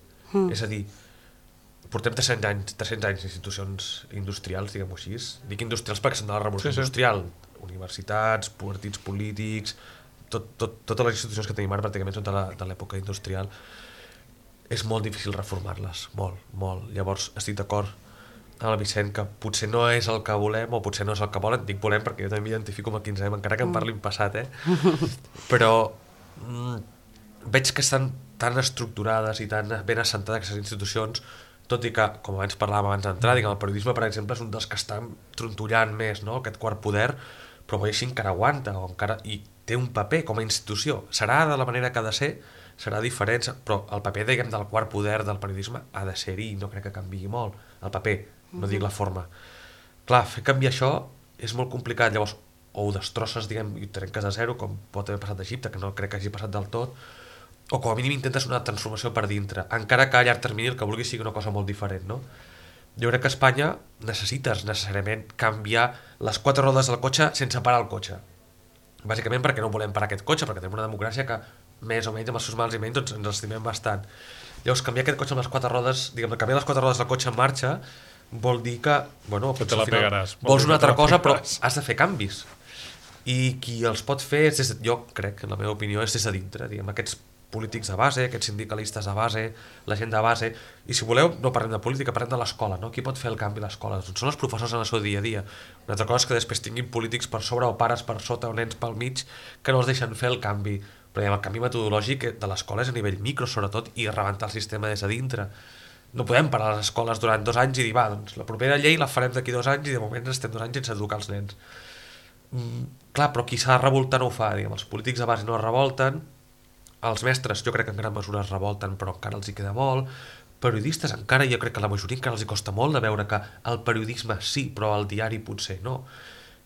És a dir, portem 300 anys d'institucions industrials, diguem-ho així. Dic industrials perquè són de la revolució industrial. Universitats, partits polítics, totes les institucions que tenim ara pràcticament són de l'època industrial. És molt difícil reformar-les, molt. Llavors estic d'acord amb el Vicent que potser no és el que volem o potser no és el que volen. Dic volem perquè jo també m'identifico amb el 15M, encara que em parli en passat, però veig que estan tan estructurades i tan ben assentades aquestes institucions, tot i que, com abans parlàvem abans d'entrar, el periodisme, per exemple, és un dels que estan trontollant més, no? Aquest quart poder, però així encara aguanta i té un paper com a institució. Serà de la manera que ha de ser, serà diferent, però el paper, diguem, del quart poder del periodisme ha de ser-hi i no crec que canviï molt. El paper, no dic la forma. Clar, fer canviar això és molt complicat, llavors o ho destrosses, diguem, i ho trenques a zero, com pot haver passat a Egipte, que no crec que hagi passat del tot, o com a mínim intentes una transformació per dintre, encara que a llarg termini el que vulguis sigui una cosa molt diferent, no? Jo crec que a Espanya necessites necessàriament canviar les 4 rodes del cotxe sense parar el cotxe. Bàsicament perquè no volem parar aquest cotxe, perquè tenim una democràcia que més o menys amb els seus mals i menys doncs ens estimem bastant. Llavors canviar aquest cotxe amb les 4 rodes, diguem, canviar les 4 rodes del cotxe en marxa vol dir que, bueno, que te la pegaràs. Vols una altra cosa, però has de fer canvis. I qui els pot fer, jo crec, en la meva opinió, és des de dintre, diguem, aquests polítics de base, aquests sindicalistes de base, la gent de base, i si voleu no parlem de política, parlem de l'escola, no? Qui pot fer el canvi a l'escola? Doncs són els professors en el seu dia a dia. Una altra cosa és que després tinguin polítics per sobre o pares per sota o nens pel mig que no els deixen fer el canvi, però el canvi metodològic de l'escola és a nivell micro sobretot i rebentar el sistema des de dintre. No podem parar les escoles durant 2 anys i dir, doncs la propera llei la farem d'aquí 2 anys i de moment estem 2 anys sense educar els nens. Clar, però qui s'ha de revoltar no ho fa, diguem, els polítics de base no es revolten, els mestres jo crec que en gran mesura es revolten però encara els hi queda molt, periodistes encara, jo crec que a la majoria encara els hi costa molt de veure que el periodisme sí, però el diari potser no.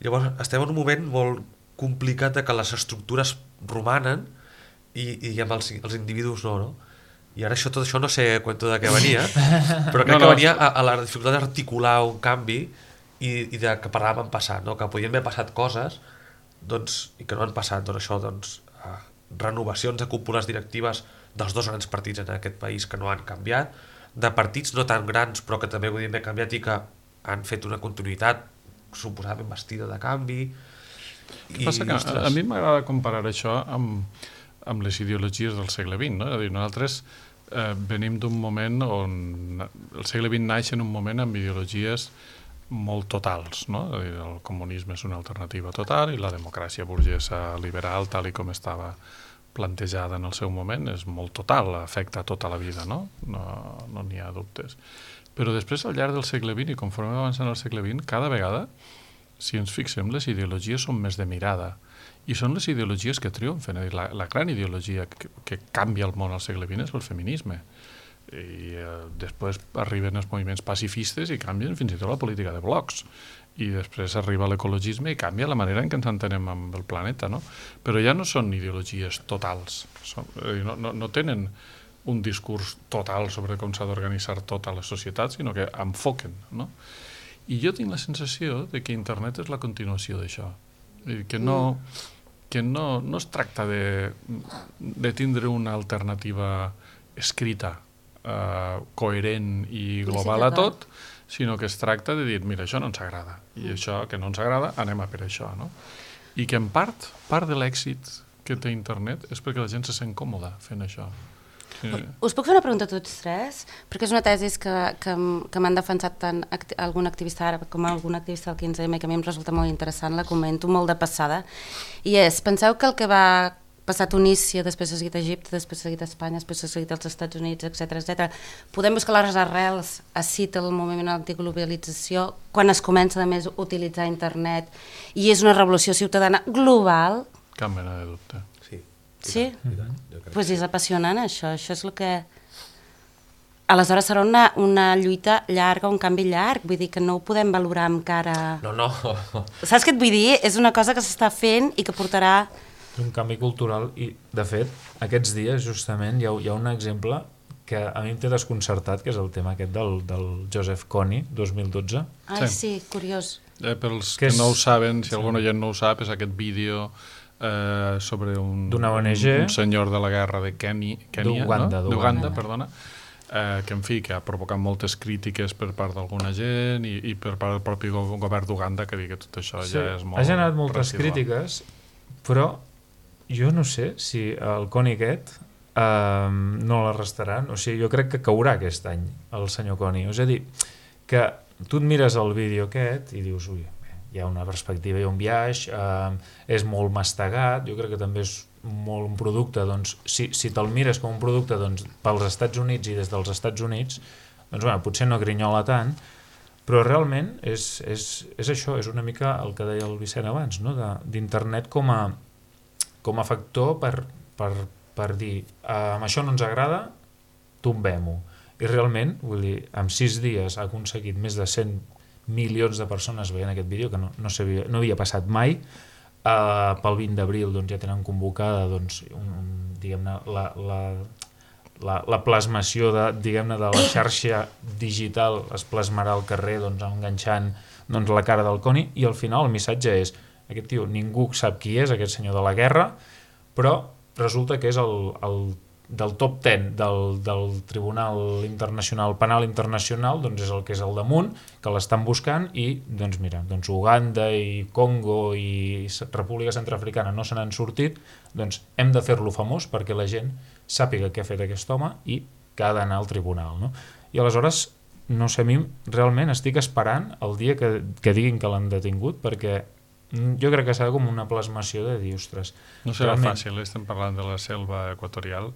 Llavors estem en un moment molt complicat de que les estructures romanen i diguem, els individus no? I ara tot això no sé cuento de què venia, però crec que venia a la dificultat d'articular un canvi i de que parlàvem en passat, no? Que podien haver passat coses i que no han passat, doncs això, renovacions de cúpules directives dels 2 grans partits en aquest país que no han canviat, de partits no tan grans però que també podien haver canviat i que han fet una continuïtat suposadament vestida de canvi. El que passa que a mi m'agrada comparar això amb les ideologies del segle XX, no? És a dir, nosaltres venim d'un moment on el segle XX naix en un moment amb ideologies molt totals, no? El comunisme és una alternativa total i la democràcia burgesa liberal, tal i com estava plantejada en el seu moment, és molt total, afecta tota la vida, no n'hi ha dubtes. Però després, al llarg del segle XX i conforme avançant el segle XX, cada vegada, si ens fixem, les ideologies són més de mirada i són les ideologies que triomfen. La gran ideologia que canvia el món al segle XX és el feminisme. I després arriben els moviments pacifistes i canvien fins i tot la política de blocs i després arriba l'ecologisme i canvia la manera en què ens entenem amb el planeta, no? Però ja no són ideologies totals, no tenen un discurs total sobre com s'ha d'organitzar tota la societat, sinó que enfoquen, no? I jo tinc la sensació de que internet és la continuació d'això, que no es tracta de tindre una alternativa escrita coherent i global a tot, sinó que es tracta de dir, mira, això no ens agrada, i això que no ens agrada, anem a per això, no? I que en part de l'èxit que té internet és perquè la gent se sent còmoda fent això. Sí. Us puc fer una pregunta a tots 3? Perquè és una tesi que m'han defensat tant algun activista àrab com algun activista del 15M, que a mi em resulta molt interessant, la comento molt de passada, i és, penseu que el que va passar a Tunísia, després ha seguit a Egipte, després ha seguit a Espanya, després ha seguit als Estats Units, etc. Podem buscar les arrels a cita el moviment antiglobalització, quan es comença a més a utilitzar internet, i és una revolució ciutadana global. Cap mena de dubte. Sí? Doncs és apassionant això és el que... Aleshores serà una lluita llarga, un canvi llarg, vull dir que no ho podem valorar amb cara... No. Saps què et vull dir? És una cosa que s'està fent i que portarà... És un canvi cultural i, de fet, aquests dies justament hi ha un exemple que a mi em té desconcertat, que és el tema aquest del Joseph Kony, 2012. Ai, sí, curiós. Pels que no ho saben, si algun oient no ho sap, és aquest vídeo sobre un senyor de la guerra de Kènia, d'Uganda, perdona, que en fi, que ha provocat moltes crítiques per part d'alguna gent i per part del propi govern d'Uganda, que digui que tot això ja és molt... Ha generat moltes crítiques, però jo no sé si el Kony aquest no l'arrestaran, o sigui, jo crec que caurà aquest any el senyor Kony, és a dir, que tu et mires el vídeo aquest i dius, ui, hi ha una perspectiva, hi ha un viatge, és molt mastegat, jo crec que també és molt un producte, doncs, si te'l mires com un producte doncs, pels Estats Units i des dels Estats Units, doncs bueno, potser no grinyola tant, però realment és això, és una mica el que deia el Vicent abans, no? D'internet com a factor per dir amb això no ens agrada, tombem-ho. I realment, vull dir, en 6 dies ha aconseguit més de 100 milions de persones veient aquest vídeo, que no havia passat mai. Pel 20 d'abril doncs, ja tenen convocada doncs, diguem-ne, la plasmació de la xarxa digital es plasmarà al carrer doncs, enganxant doncs, la cara del Kony, i al final el missatge és aquest tio, ningú sap qui és, aquest senyor de la guerra, però resulta que és del top 10 del Tribunal Internacional, Penal Internacional, doncs és el que és al damunt, que l'estan buscant, i doncs mira, doncs Uganda i Congo i República Centroafricana no se n'han sortit, doncs hem de fer-lo famós perquè la gent sàpiga què ha fet aquest home i que ha d'anar al tribunal, no? I aleshores, no sé, a mi realment estic esperant el dia que diguin que l'han detingut, perquè jo crec que serà com una plasmació de dir, ostres... No serà fàcil, estem parlant de la selva equatorial,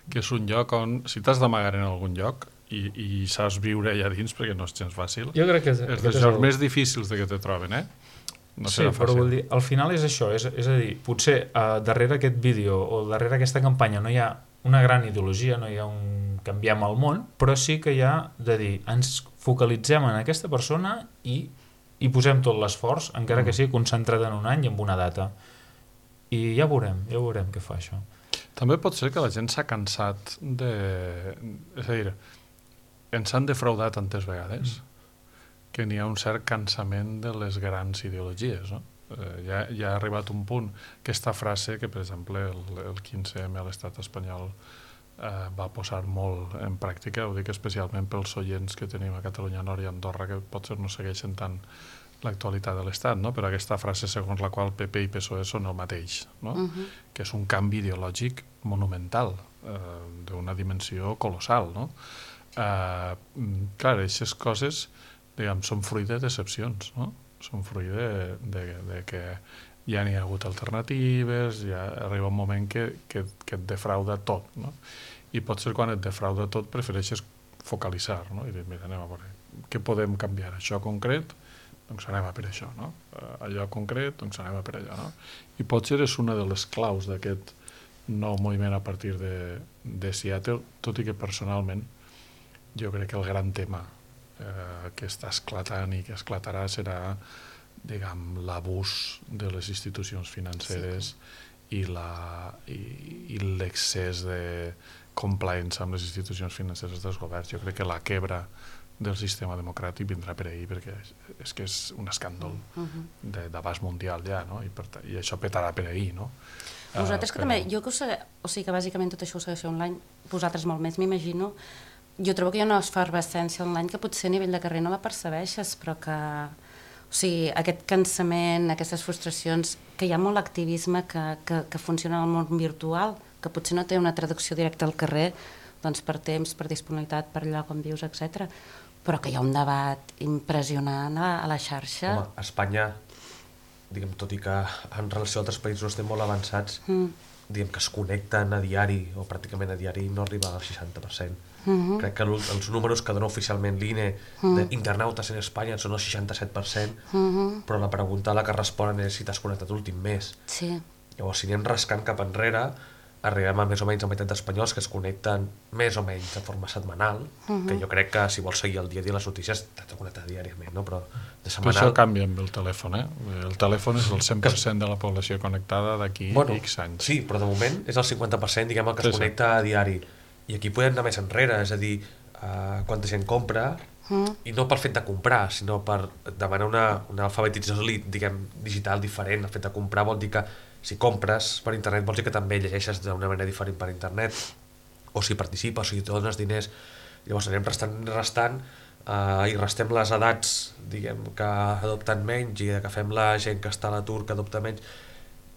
que és un lloc on, si t'has d'amagar en algun lloc i saps viure allà dins, perquè no és gens fàcil, jo crec que és dels llocs més difícils de que te troben, No serà fàcil. Però vull dir, al final és això, és a dir, potser darrere aquest vídeo o darrere aquesta campanya no hi ha una gran ideologia, no hi ha un canviem el món, però sí que hi ha de dir, ens focalitzem en aquesta persona i posem tot l'esforç, encara que sigui concentrat en un any i en una data. I ja veurem què fa això. També pot ser que la gent s'ha cansat de... És a dir, ens han defraudat tantes vegades que n'hi ha un cert cansament de les grans ideologies, no? Ja ha arribat un punt, aquesta frase que, per exemple, el 15M a l'estat espanyol va posar molt en pràctica, ho dic especialment pels oients que tenim a Catalunya Nord i Andorra, que potser no segueixen tant l'actualitat de l'Estat, no? Però aquesta frase segons la qual PP i PSOE són el mateix, no? Que és un canvi ideològic monumental, d'una dimensió colossal, no? Clar, aquestes coses, diguem, són fruit de decepcions, no? Són fruit de que ja n'hi ha hagut alternatives, ja arriba un moment que et defrauda tot, no? I potser quan et defrauda tot prefereixes focalitzar, no? I dir, mira, anem a veure, què podem canviar? Això concret? Doncs anem a per això, no? Allò concret? Doncs anem a per allò, no? I potser és una de les claus d'aquest nou moviment a partir de Seattle, tot i que personalment jo crec que el gran tema que està esclatant i que esclatarà serà, diguem, l'abús de les institucions financeres i l'excés de compliance amb les institucions financeres dels governs. Jo crec que la quebra del sistema democràtic vindrà per ahir, perquè és que és un escàndol d'abast mundial ja, no? I això petarà per ahir, no? Vosaltres que també, jo que o sigui que bàsicament tot això ho segueixeu online, vosaltres molt més, m'imagino. Jo trobo que hi ha una efervescència online que potser a nivell de carrer no la percebeixes, però que, o sigui, aquest cansament, aquestes frustracions, que hi ha molt activisme que funciona en el món virtual, que potser no té una traducció directa al carrer, doncs per temps, per disponibilitat, per allò com vius, etc. Però que hi ha un debat impressionant a la xarxa. Home, a Espanya, diguem, tot i que en relació a altres països estem molt avançats, diguem que es connecten a diari, o pràcticament a diari, no arriba al 60%. Crec que els números que dona oficialment l'INE d'internautes en Espanya són el 67%, però la pregunta a la que responen és si t'has connectat l'últim mes. Llavors, si anem rascant cap enrere, arribem a més o menys la meitat d'espanyols que es connecten més o menys de forma setmanal, que jo crec que si vols seguir el dia a dia les notícies t'has de connectar diàriament, no? Però de setmanal... Però això canvia amb el telèfon, El telèfon és el 100% de la població connectada d'aquí X anys. Sí, però de moment és el 50%, diguem, el que es connecta a diari. I aquí podem anar més enrere, és a dir, quanta gent compra, i no pel fet de comprar, sinó per demanar una alfabetització, diguem, digital diferent. El fet de comprar vol dir que si compres per internet vols dir que també llegeixes d'una manera diferent per internet, o si participes, o si te dones diners. Llavors anem restant i restem les edats, diguem, que adopten menys, i que fem la gent que està a l'atur que adopta menys,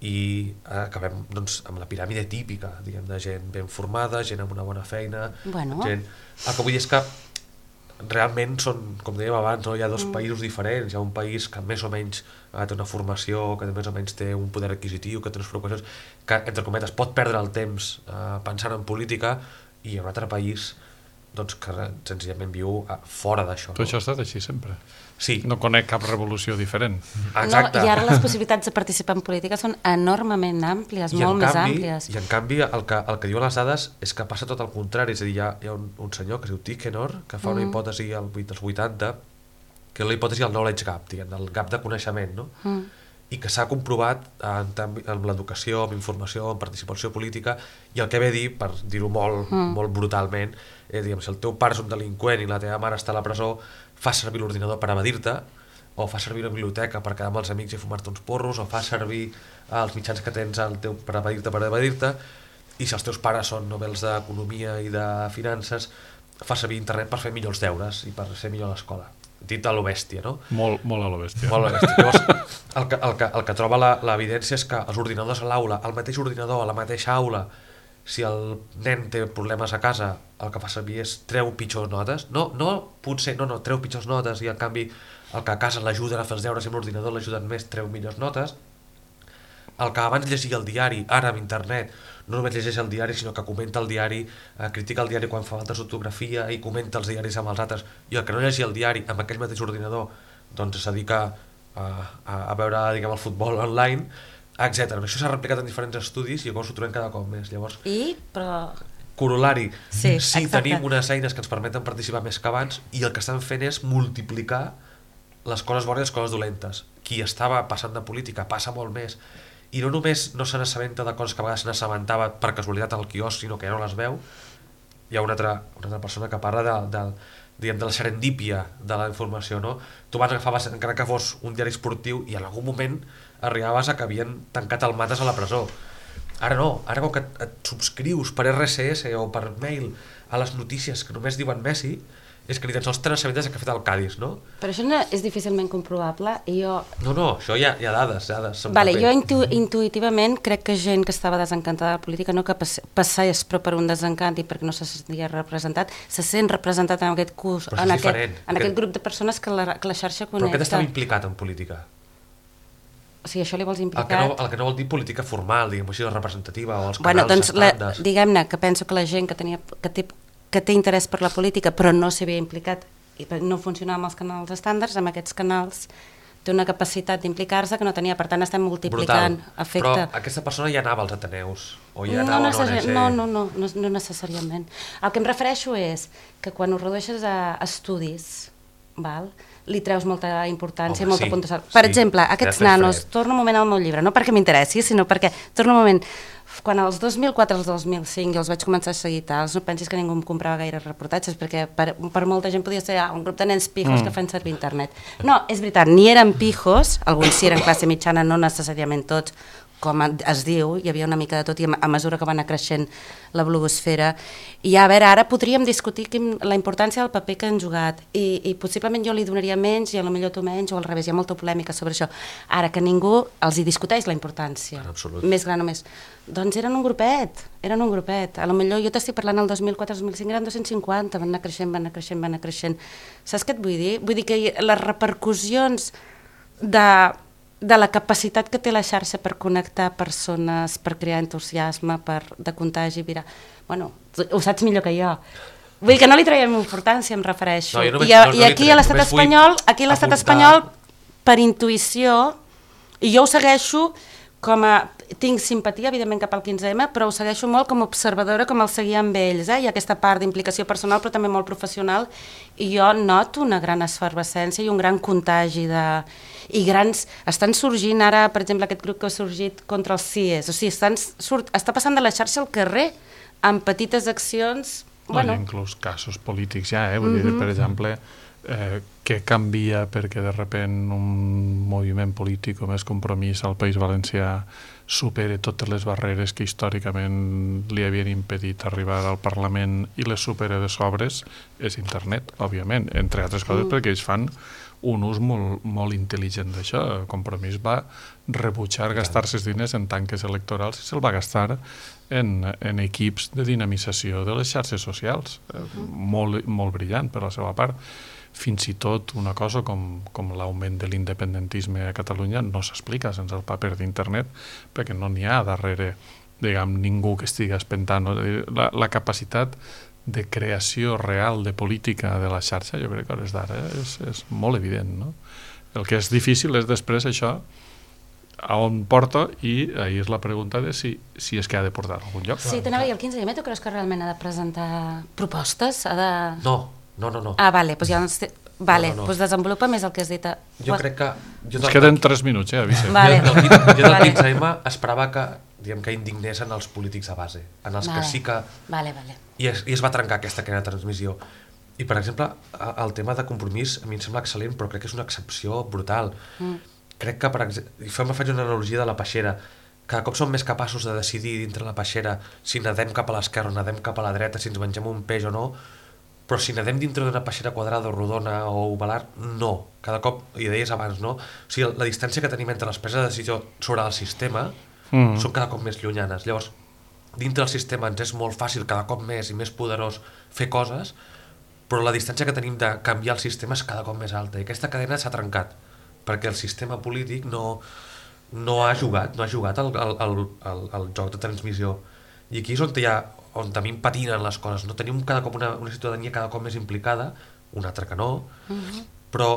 i acabem doncs, amb la piràmide típica, diguem, de gent ben formada, gent amb una bona feina, gent... El que vull dir és que realment són, com dèiem abans, hi ha dos països diferents. Hi ha un país que més o menys té una formació, que més o menys té un poder adquisitiu, que té unes preocupacions, que, entre cometes, pot perdre el temps pensant en política, i hi ha un altre país doncs, que senzillament viu fora d'això. Tot això ha estat així sempre. Sí. No conec cap revolució diferent. Exacte. I ara les possibilitats de participar en política són enormement àmplies, molt més àmplies. I en canvi el que diuen les dades és que passa tot el contrari. És a dir, hi ha un senyor que es diu Tikhonor, que fa una hipòtesi als 80, que és la hipòtesi del knowledge gap, diguem, del gap de coneixement, no? I que s'ha comprovat amb l'educació, amb informació, amb participació política, i el que ve a dir, per dir-ho molt brutalment, diguem, si el teu pare és un delinqüent i la teva mare està a la presó, fa servir l'ordinador per evadir-te, o fa servir la biblioteca per quedar amb els amics i fumar-te uns porros, o fa servir els mitjans que tens per evadir-te, i si els teus pares són Nobels d'Economia i de Finances, fa servir internet per fer millors deures i per ser millor a l'escola. Dit a lo bèstia, no? Molt a lo bèstia. Molt a lo bèstia. Llavors, el que troba l'evidència és que els ordinadors a l'aula, el mateix ordinador, a la mateixa aula, si el nen té problemes a casa, el que fa servir és treu pitjors notes. No, treu pitjors notes, i en canvi el que a casa l'ajuden a fer els deures i amb l'ordinador l'ajuden més, treu millors notes. El que abans llegia el diari, ara amb internet, no només llegeix el diari, sinó que comenta el diari, critica el diari quan fa falta d'ortografia i comenta els diaris amb els altres, i el que no llegia el diari amb aquell mateix ordinador doncs es dedica a veure, diguem, el futbol online, etc. Això s'ha replicat en diferents estudis i llavors ho trobem cada cop més. Llavors, corol·lari, sí, tenim unes eines que ens permeten participar més que abans, i el que estan fent és multiplicar les coses bones i les coses dolentes. Qui estava passant de política passa molt més, i no només no se n'assabenta de coses que a vegades se n'assabentava per casualitat al quiosc, sinó que ja no les veu. Hi ha una altra persona que parla de la serendípia de la informació, no? Tu vas agafar, encara que fos un diari esportiu, i en algun moment arribaves a que havien tancat el Mates a la presó. Ara no, ara com que et subscrius per RSS o per mail a les notícies que només diuen Messi, és que ni tan sols tenen assabentes que ha fet el Cádiz, no? Però això no és difícilment comprovable, i jo... No, això hi ha dades. Vale, jo intuïtivament crec que gent que estava desencantada de la política, no que passés però per un desencant i perquè no se sentia representat, se sent representat en aquest curs, en aquest grup de persones que la xarxa connecta. Però aquest estava implicat en política. O sigui, això li vols implicat? El que no vol dir política formal, diguem així, representativa, o els canals, doncs, diguem-ne, que penso que la gent que té interès per la política però no s'hi havia implicat i no funcionava amb els canals estàndards, amb aquests canals té una capacitat d'implicar-se que no tenia, per tant estem multiplicant efecte. Però aquesta persona ja anava als Ateneus o ja anava a l'ONG? No necessàriament. El que em refereixo és que quan ho redueixes a estudis, li treus molta importància, molta puntuació. Per exemple, aquests nanos, torno un moment al meu llibre, no perquè m'interessi, sinó perquè, torno un moment, quan als 2004 als 2005 jo els vaig començar a seguir tals, no pensis que ningú em comprava gaire reportatges, perquè per molta gent podia ser un grup de nens pijos que fan servir internet. No, és veritat, ni eren pijos, alguns sí eren classe mitjana, no necessàriament tots, com es diu, hi havia una mica de tot, i a mesura que va anar creixent la blogosfera. I a veure, ara podríem discutir la importància del paper que han jugat, i possiblement jo li donaria menys, i potser tu menys, o al revés, hi ha molta polèmica sobre això. Ara que ningú els hi discuteix la importància, més gran o més. Doncs eren un grupet. A lo millor jo t'estic parlant el 2004-2005, eren 250, van anar creixent. Saps què et vull dir? Vull dir que les repercussions de de la capacitat que té la xarxa per connectar persones, per crear entusiasme, de contagi viral. Bueno, ho saps millor que jo. Vull dir que no li traiem importància, em refereixo. I aquí a l'estat espanyol, per intuïció, i jo ho segueixo com a... Tinc simpatia, evidentment, cap al 15M, però ho segueixo molt com a observadora, com el seguia amb ells. Hi ha aquesta part d'implicació personal, però també molt professional, i jo noto una gran efervescència i un gran contagi de... I estan sorgint ara, per exemple, aquest grup que ha sorgit contra els CIES. O sigui, està passant de la xarxa al carrer amb petites accions... Hi ha inclús casos polítics ja, vull dir, per exemple, què canvia perquè de sobte un moviment polític o més Compromís al País Valencià supere totes les barreres que històricament li havien impedit arribar al Parlament i les supera de sobres, és internet, òbviament, entre altres coses perquè ells fan un ús molt intel·ligent d'això. Compromís va rebutjar gastar-se els diners en tanques electorals i se'l va gastar en equips de dinamització de les xarxes socials. Molt brillant per la seva part. Fins i tot una cosa com l'augment de l'independentisme a Catalunya no s'explica sense el paper d'internet, perquè no n'hi ha darrere, diguem, ningú que estigui espentant. La capacitat de creació real de política de la xarxa, jo crec que a hores d'ara és molt evident, no? El que és difícil és després això a on porta, i ahí és la pregunta de si és que ha de portar a algun lloc. Sí, t'anava a dir, el 15M tu creus que realment ha de presentar propostes? No. Ah, vale, doncs ja doncs desenvolupa més el que has dit. Jo crec que... Ens queden 3 minuts, Vicent. Jo del 15M esperava que indignessin els polítics a base, en els que sí que... I es va trencar aquesta cadena de transmissió. I, per exemple, el tema de Compromís a mi em sembla excel·lent, però crec que és una excepció brutal. Crec que, per exemple, faig una analogia de la peixera. Cada cop som més capaços de decidir dintre la peixera si nadem cap a l'esquerra o nadem cap a la dreta, si ens mengem un peix o no, però si nadem dintre d'una peixera quadrada o rodona o ovalar, no. Cada cop, i deies abans, no? O sigui, la distància que tenim entre les preses de decisió sobre el sistema són cada cop més llunyanes. Llavors, dintre del sistema ens és molt fàcil, cada cop més i més poderós, fer coses, però la distància que tenim de canviar el sistema és cada cop més alta. I aquesta cadena s'ha trencat, perquè el sistema polític no ha jugat el joc de transmissió. I aquí és on també patinen les coses. No? Tenim cada cop una ciutadania cada cop més implicada, una altra que no, però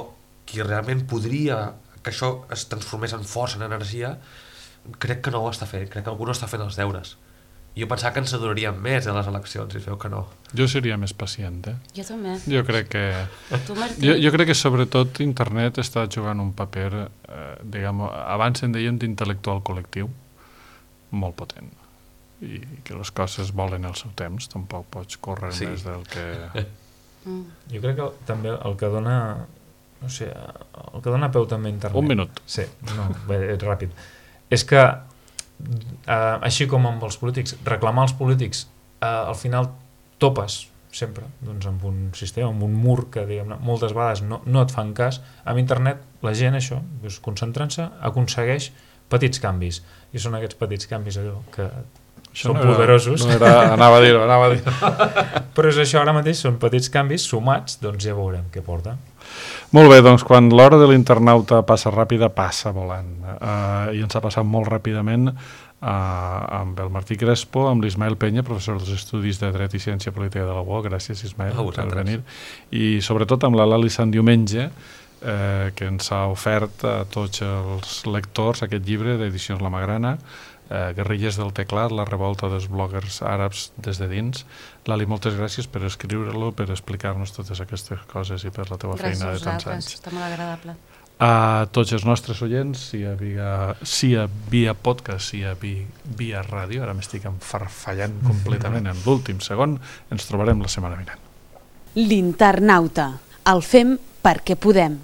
qui realment podria que això es transformés en força, en energia, crec que no ho està fent, crec que algú no està fent els deures. Jo pensava que ens adorarien més a les eleccions i es veu que no. Jo seria més pacient, Jo també. Jo crec que... Tu, Martí? Jo crec que sobretot internet està jugant un paper, abans en dèiem d'intel·lectual col·lectiu, molt potent. I que les coses volen el seu temps, tampoc pots córrer més del que... Jo crec que també el que dona... No sé, el que dona peu també a internet... Un minut. Sí, és ràpid. És que així com amb els polítics, reclamar als polítics al final topes sempre amb un sistema, amb un mur que moltes vegades no et fan cas. Amb internet la gent això, concentrant-se, aconsegueix petits canvis, i són aquests petits canvis allò que són poderosos. Anava a dir-ho. Però és això, ara mateix són petits canvis sumats, doncs ja veurem què porta. Molt bé, doncs quan l'hora de l'internauta passa ràpida, passa volant. I ens ha passat molt ràpidament amb el Martí Crespo, amb l'Ismael Penya, professor dels Estudis de Dret i Ciència Política de la UOC. Gràcies, Ismael, per venir. I sobretot amb la Lali Sant Diumenge, que ens ha ofert a tots els lectors aquest llibre d'Edicions La Magrana, Guerrilles del teclat, la revolta dels bloggers àrabs des de dins. Lali, moltes gràcies per escriure-lo, per explicar-nos totes aquestes coses i per la teva feina de tants anys. Gràcies, està molt agradable. A tots els nostres oients, sia via podcast, sia via ràdio, ara m'estic enfarfallant completament en l'últim segon, ens trobarem la setmana vinent. L'internauta, el fem perquè podem.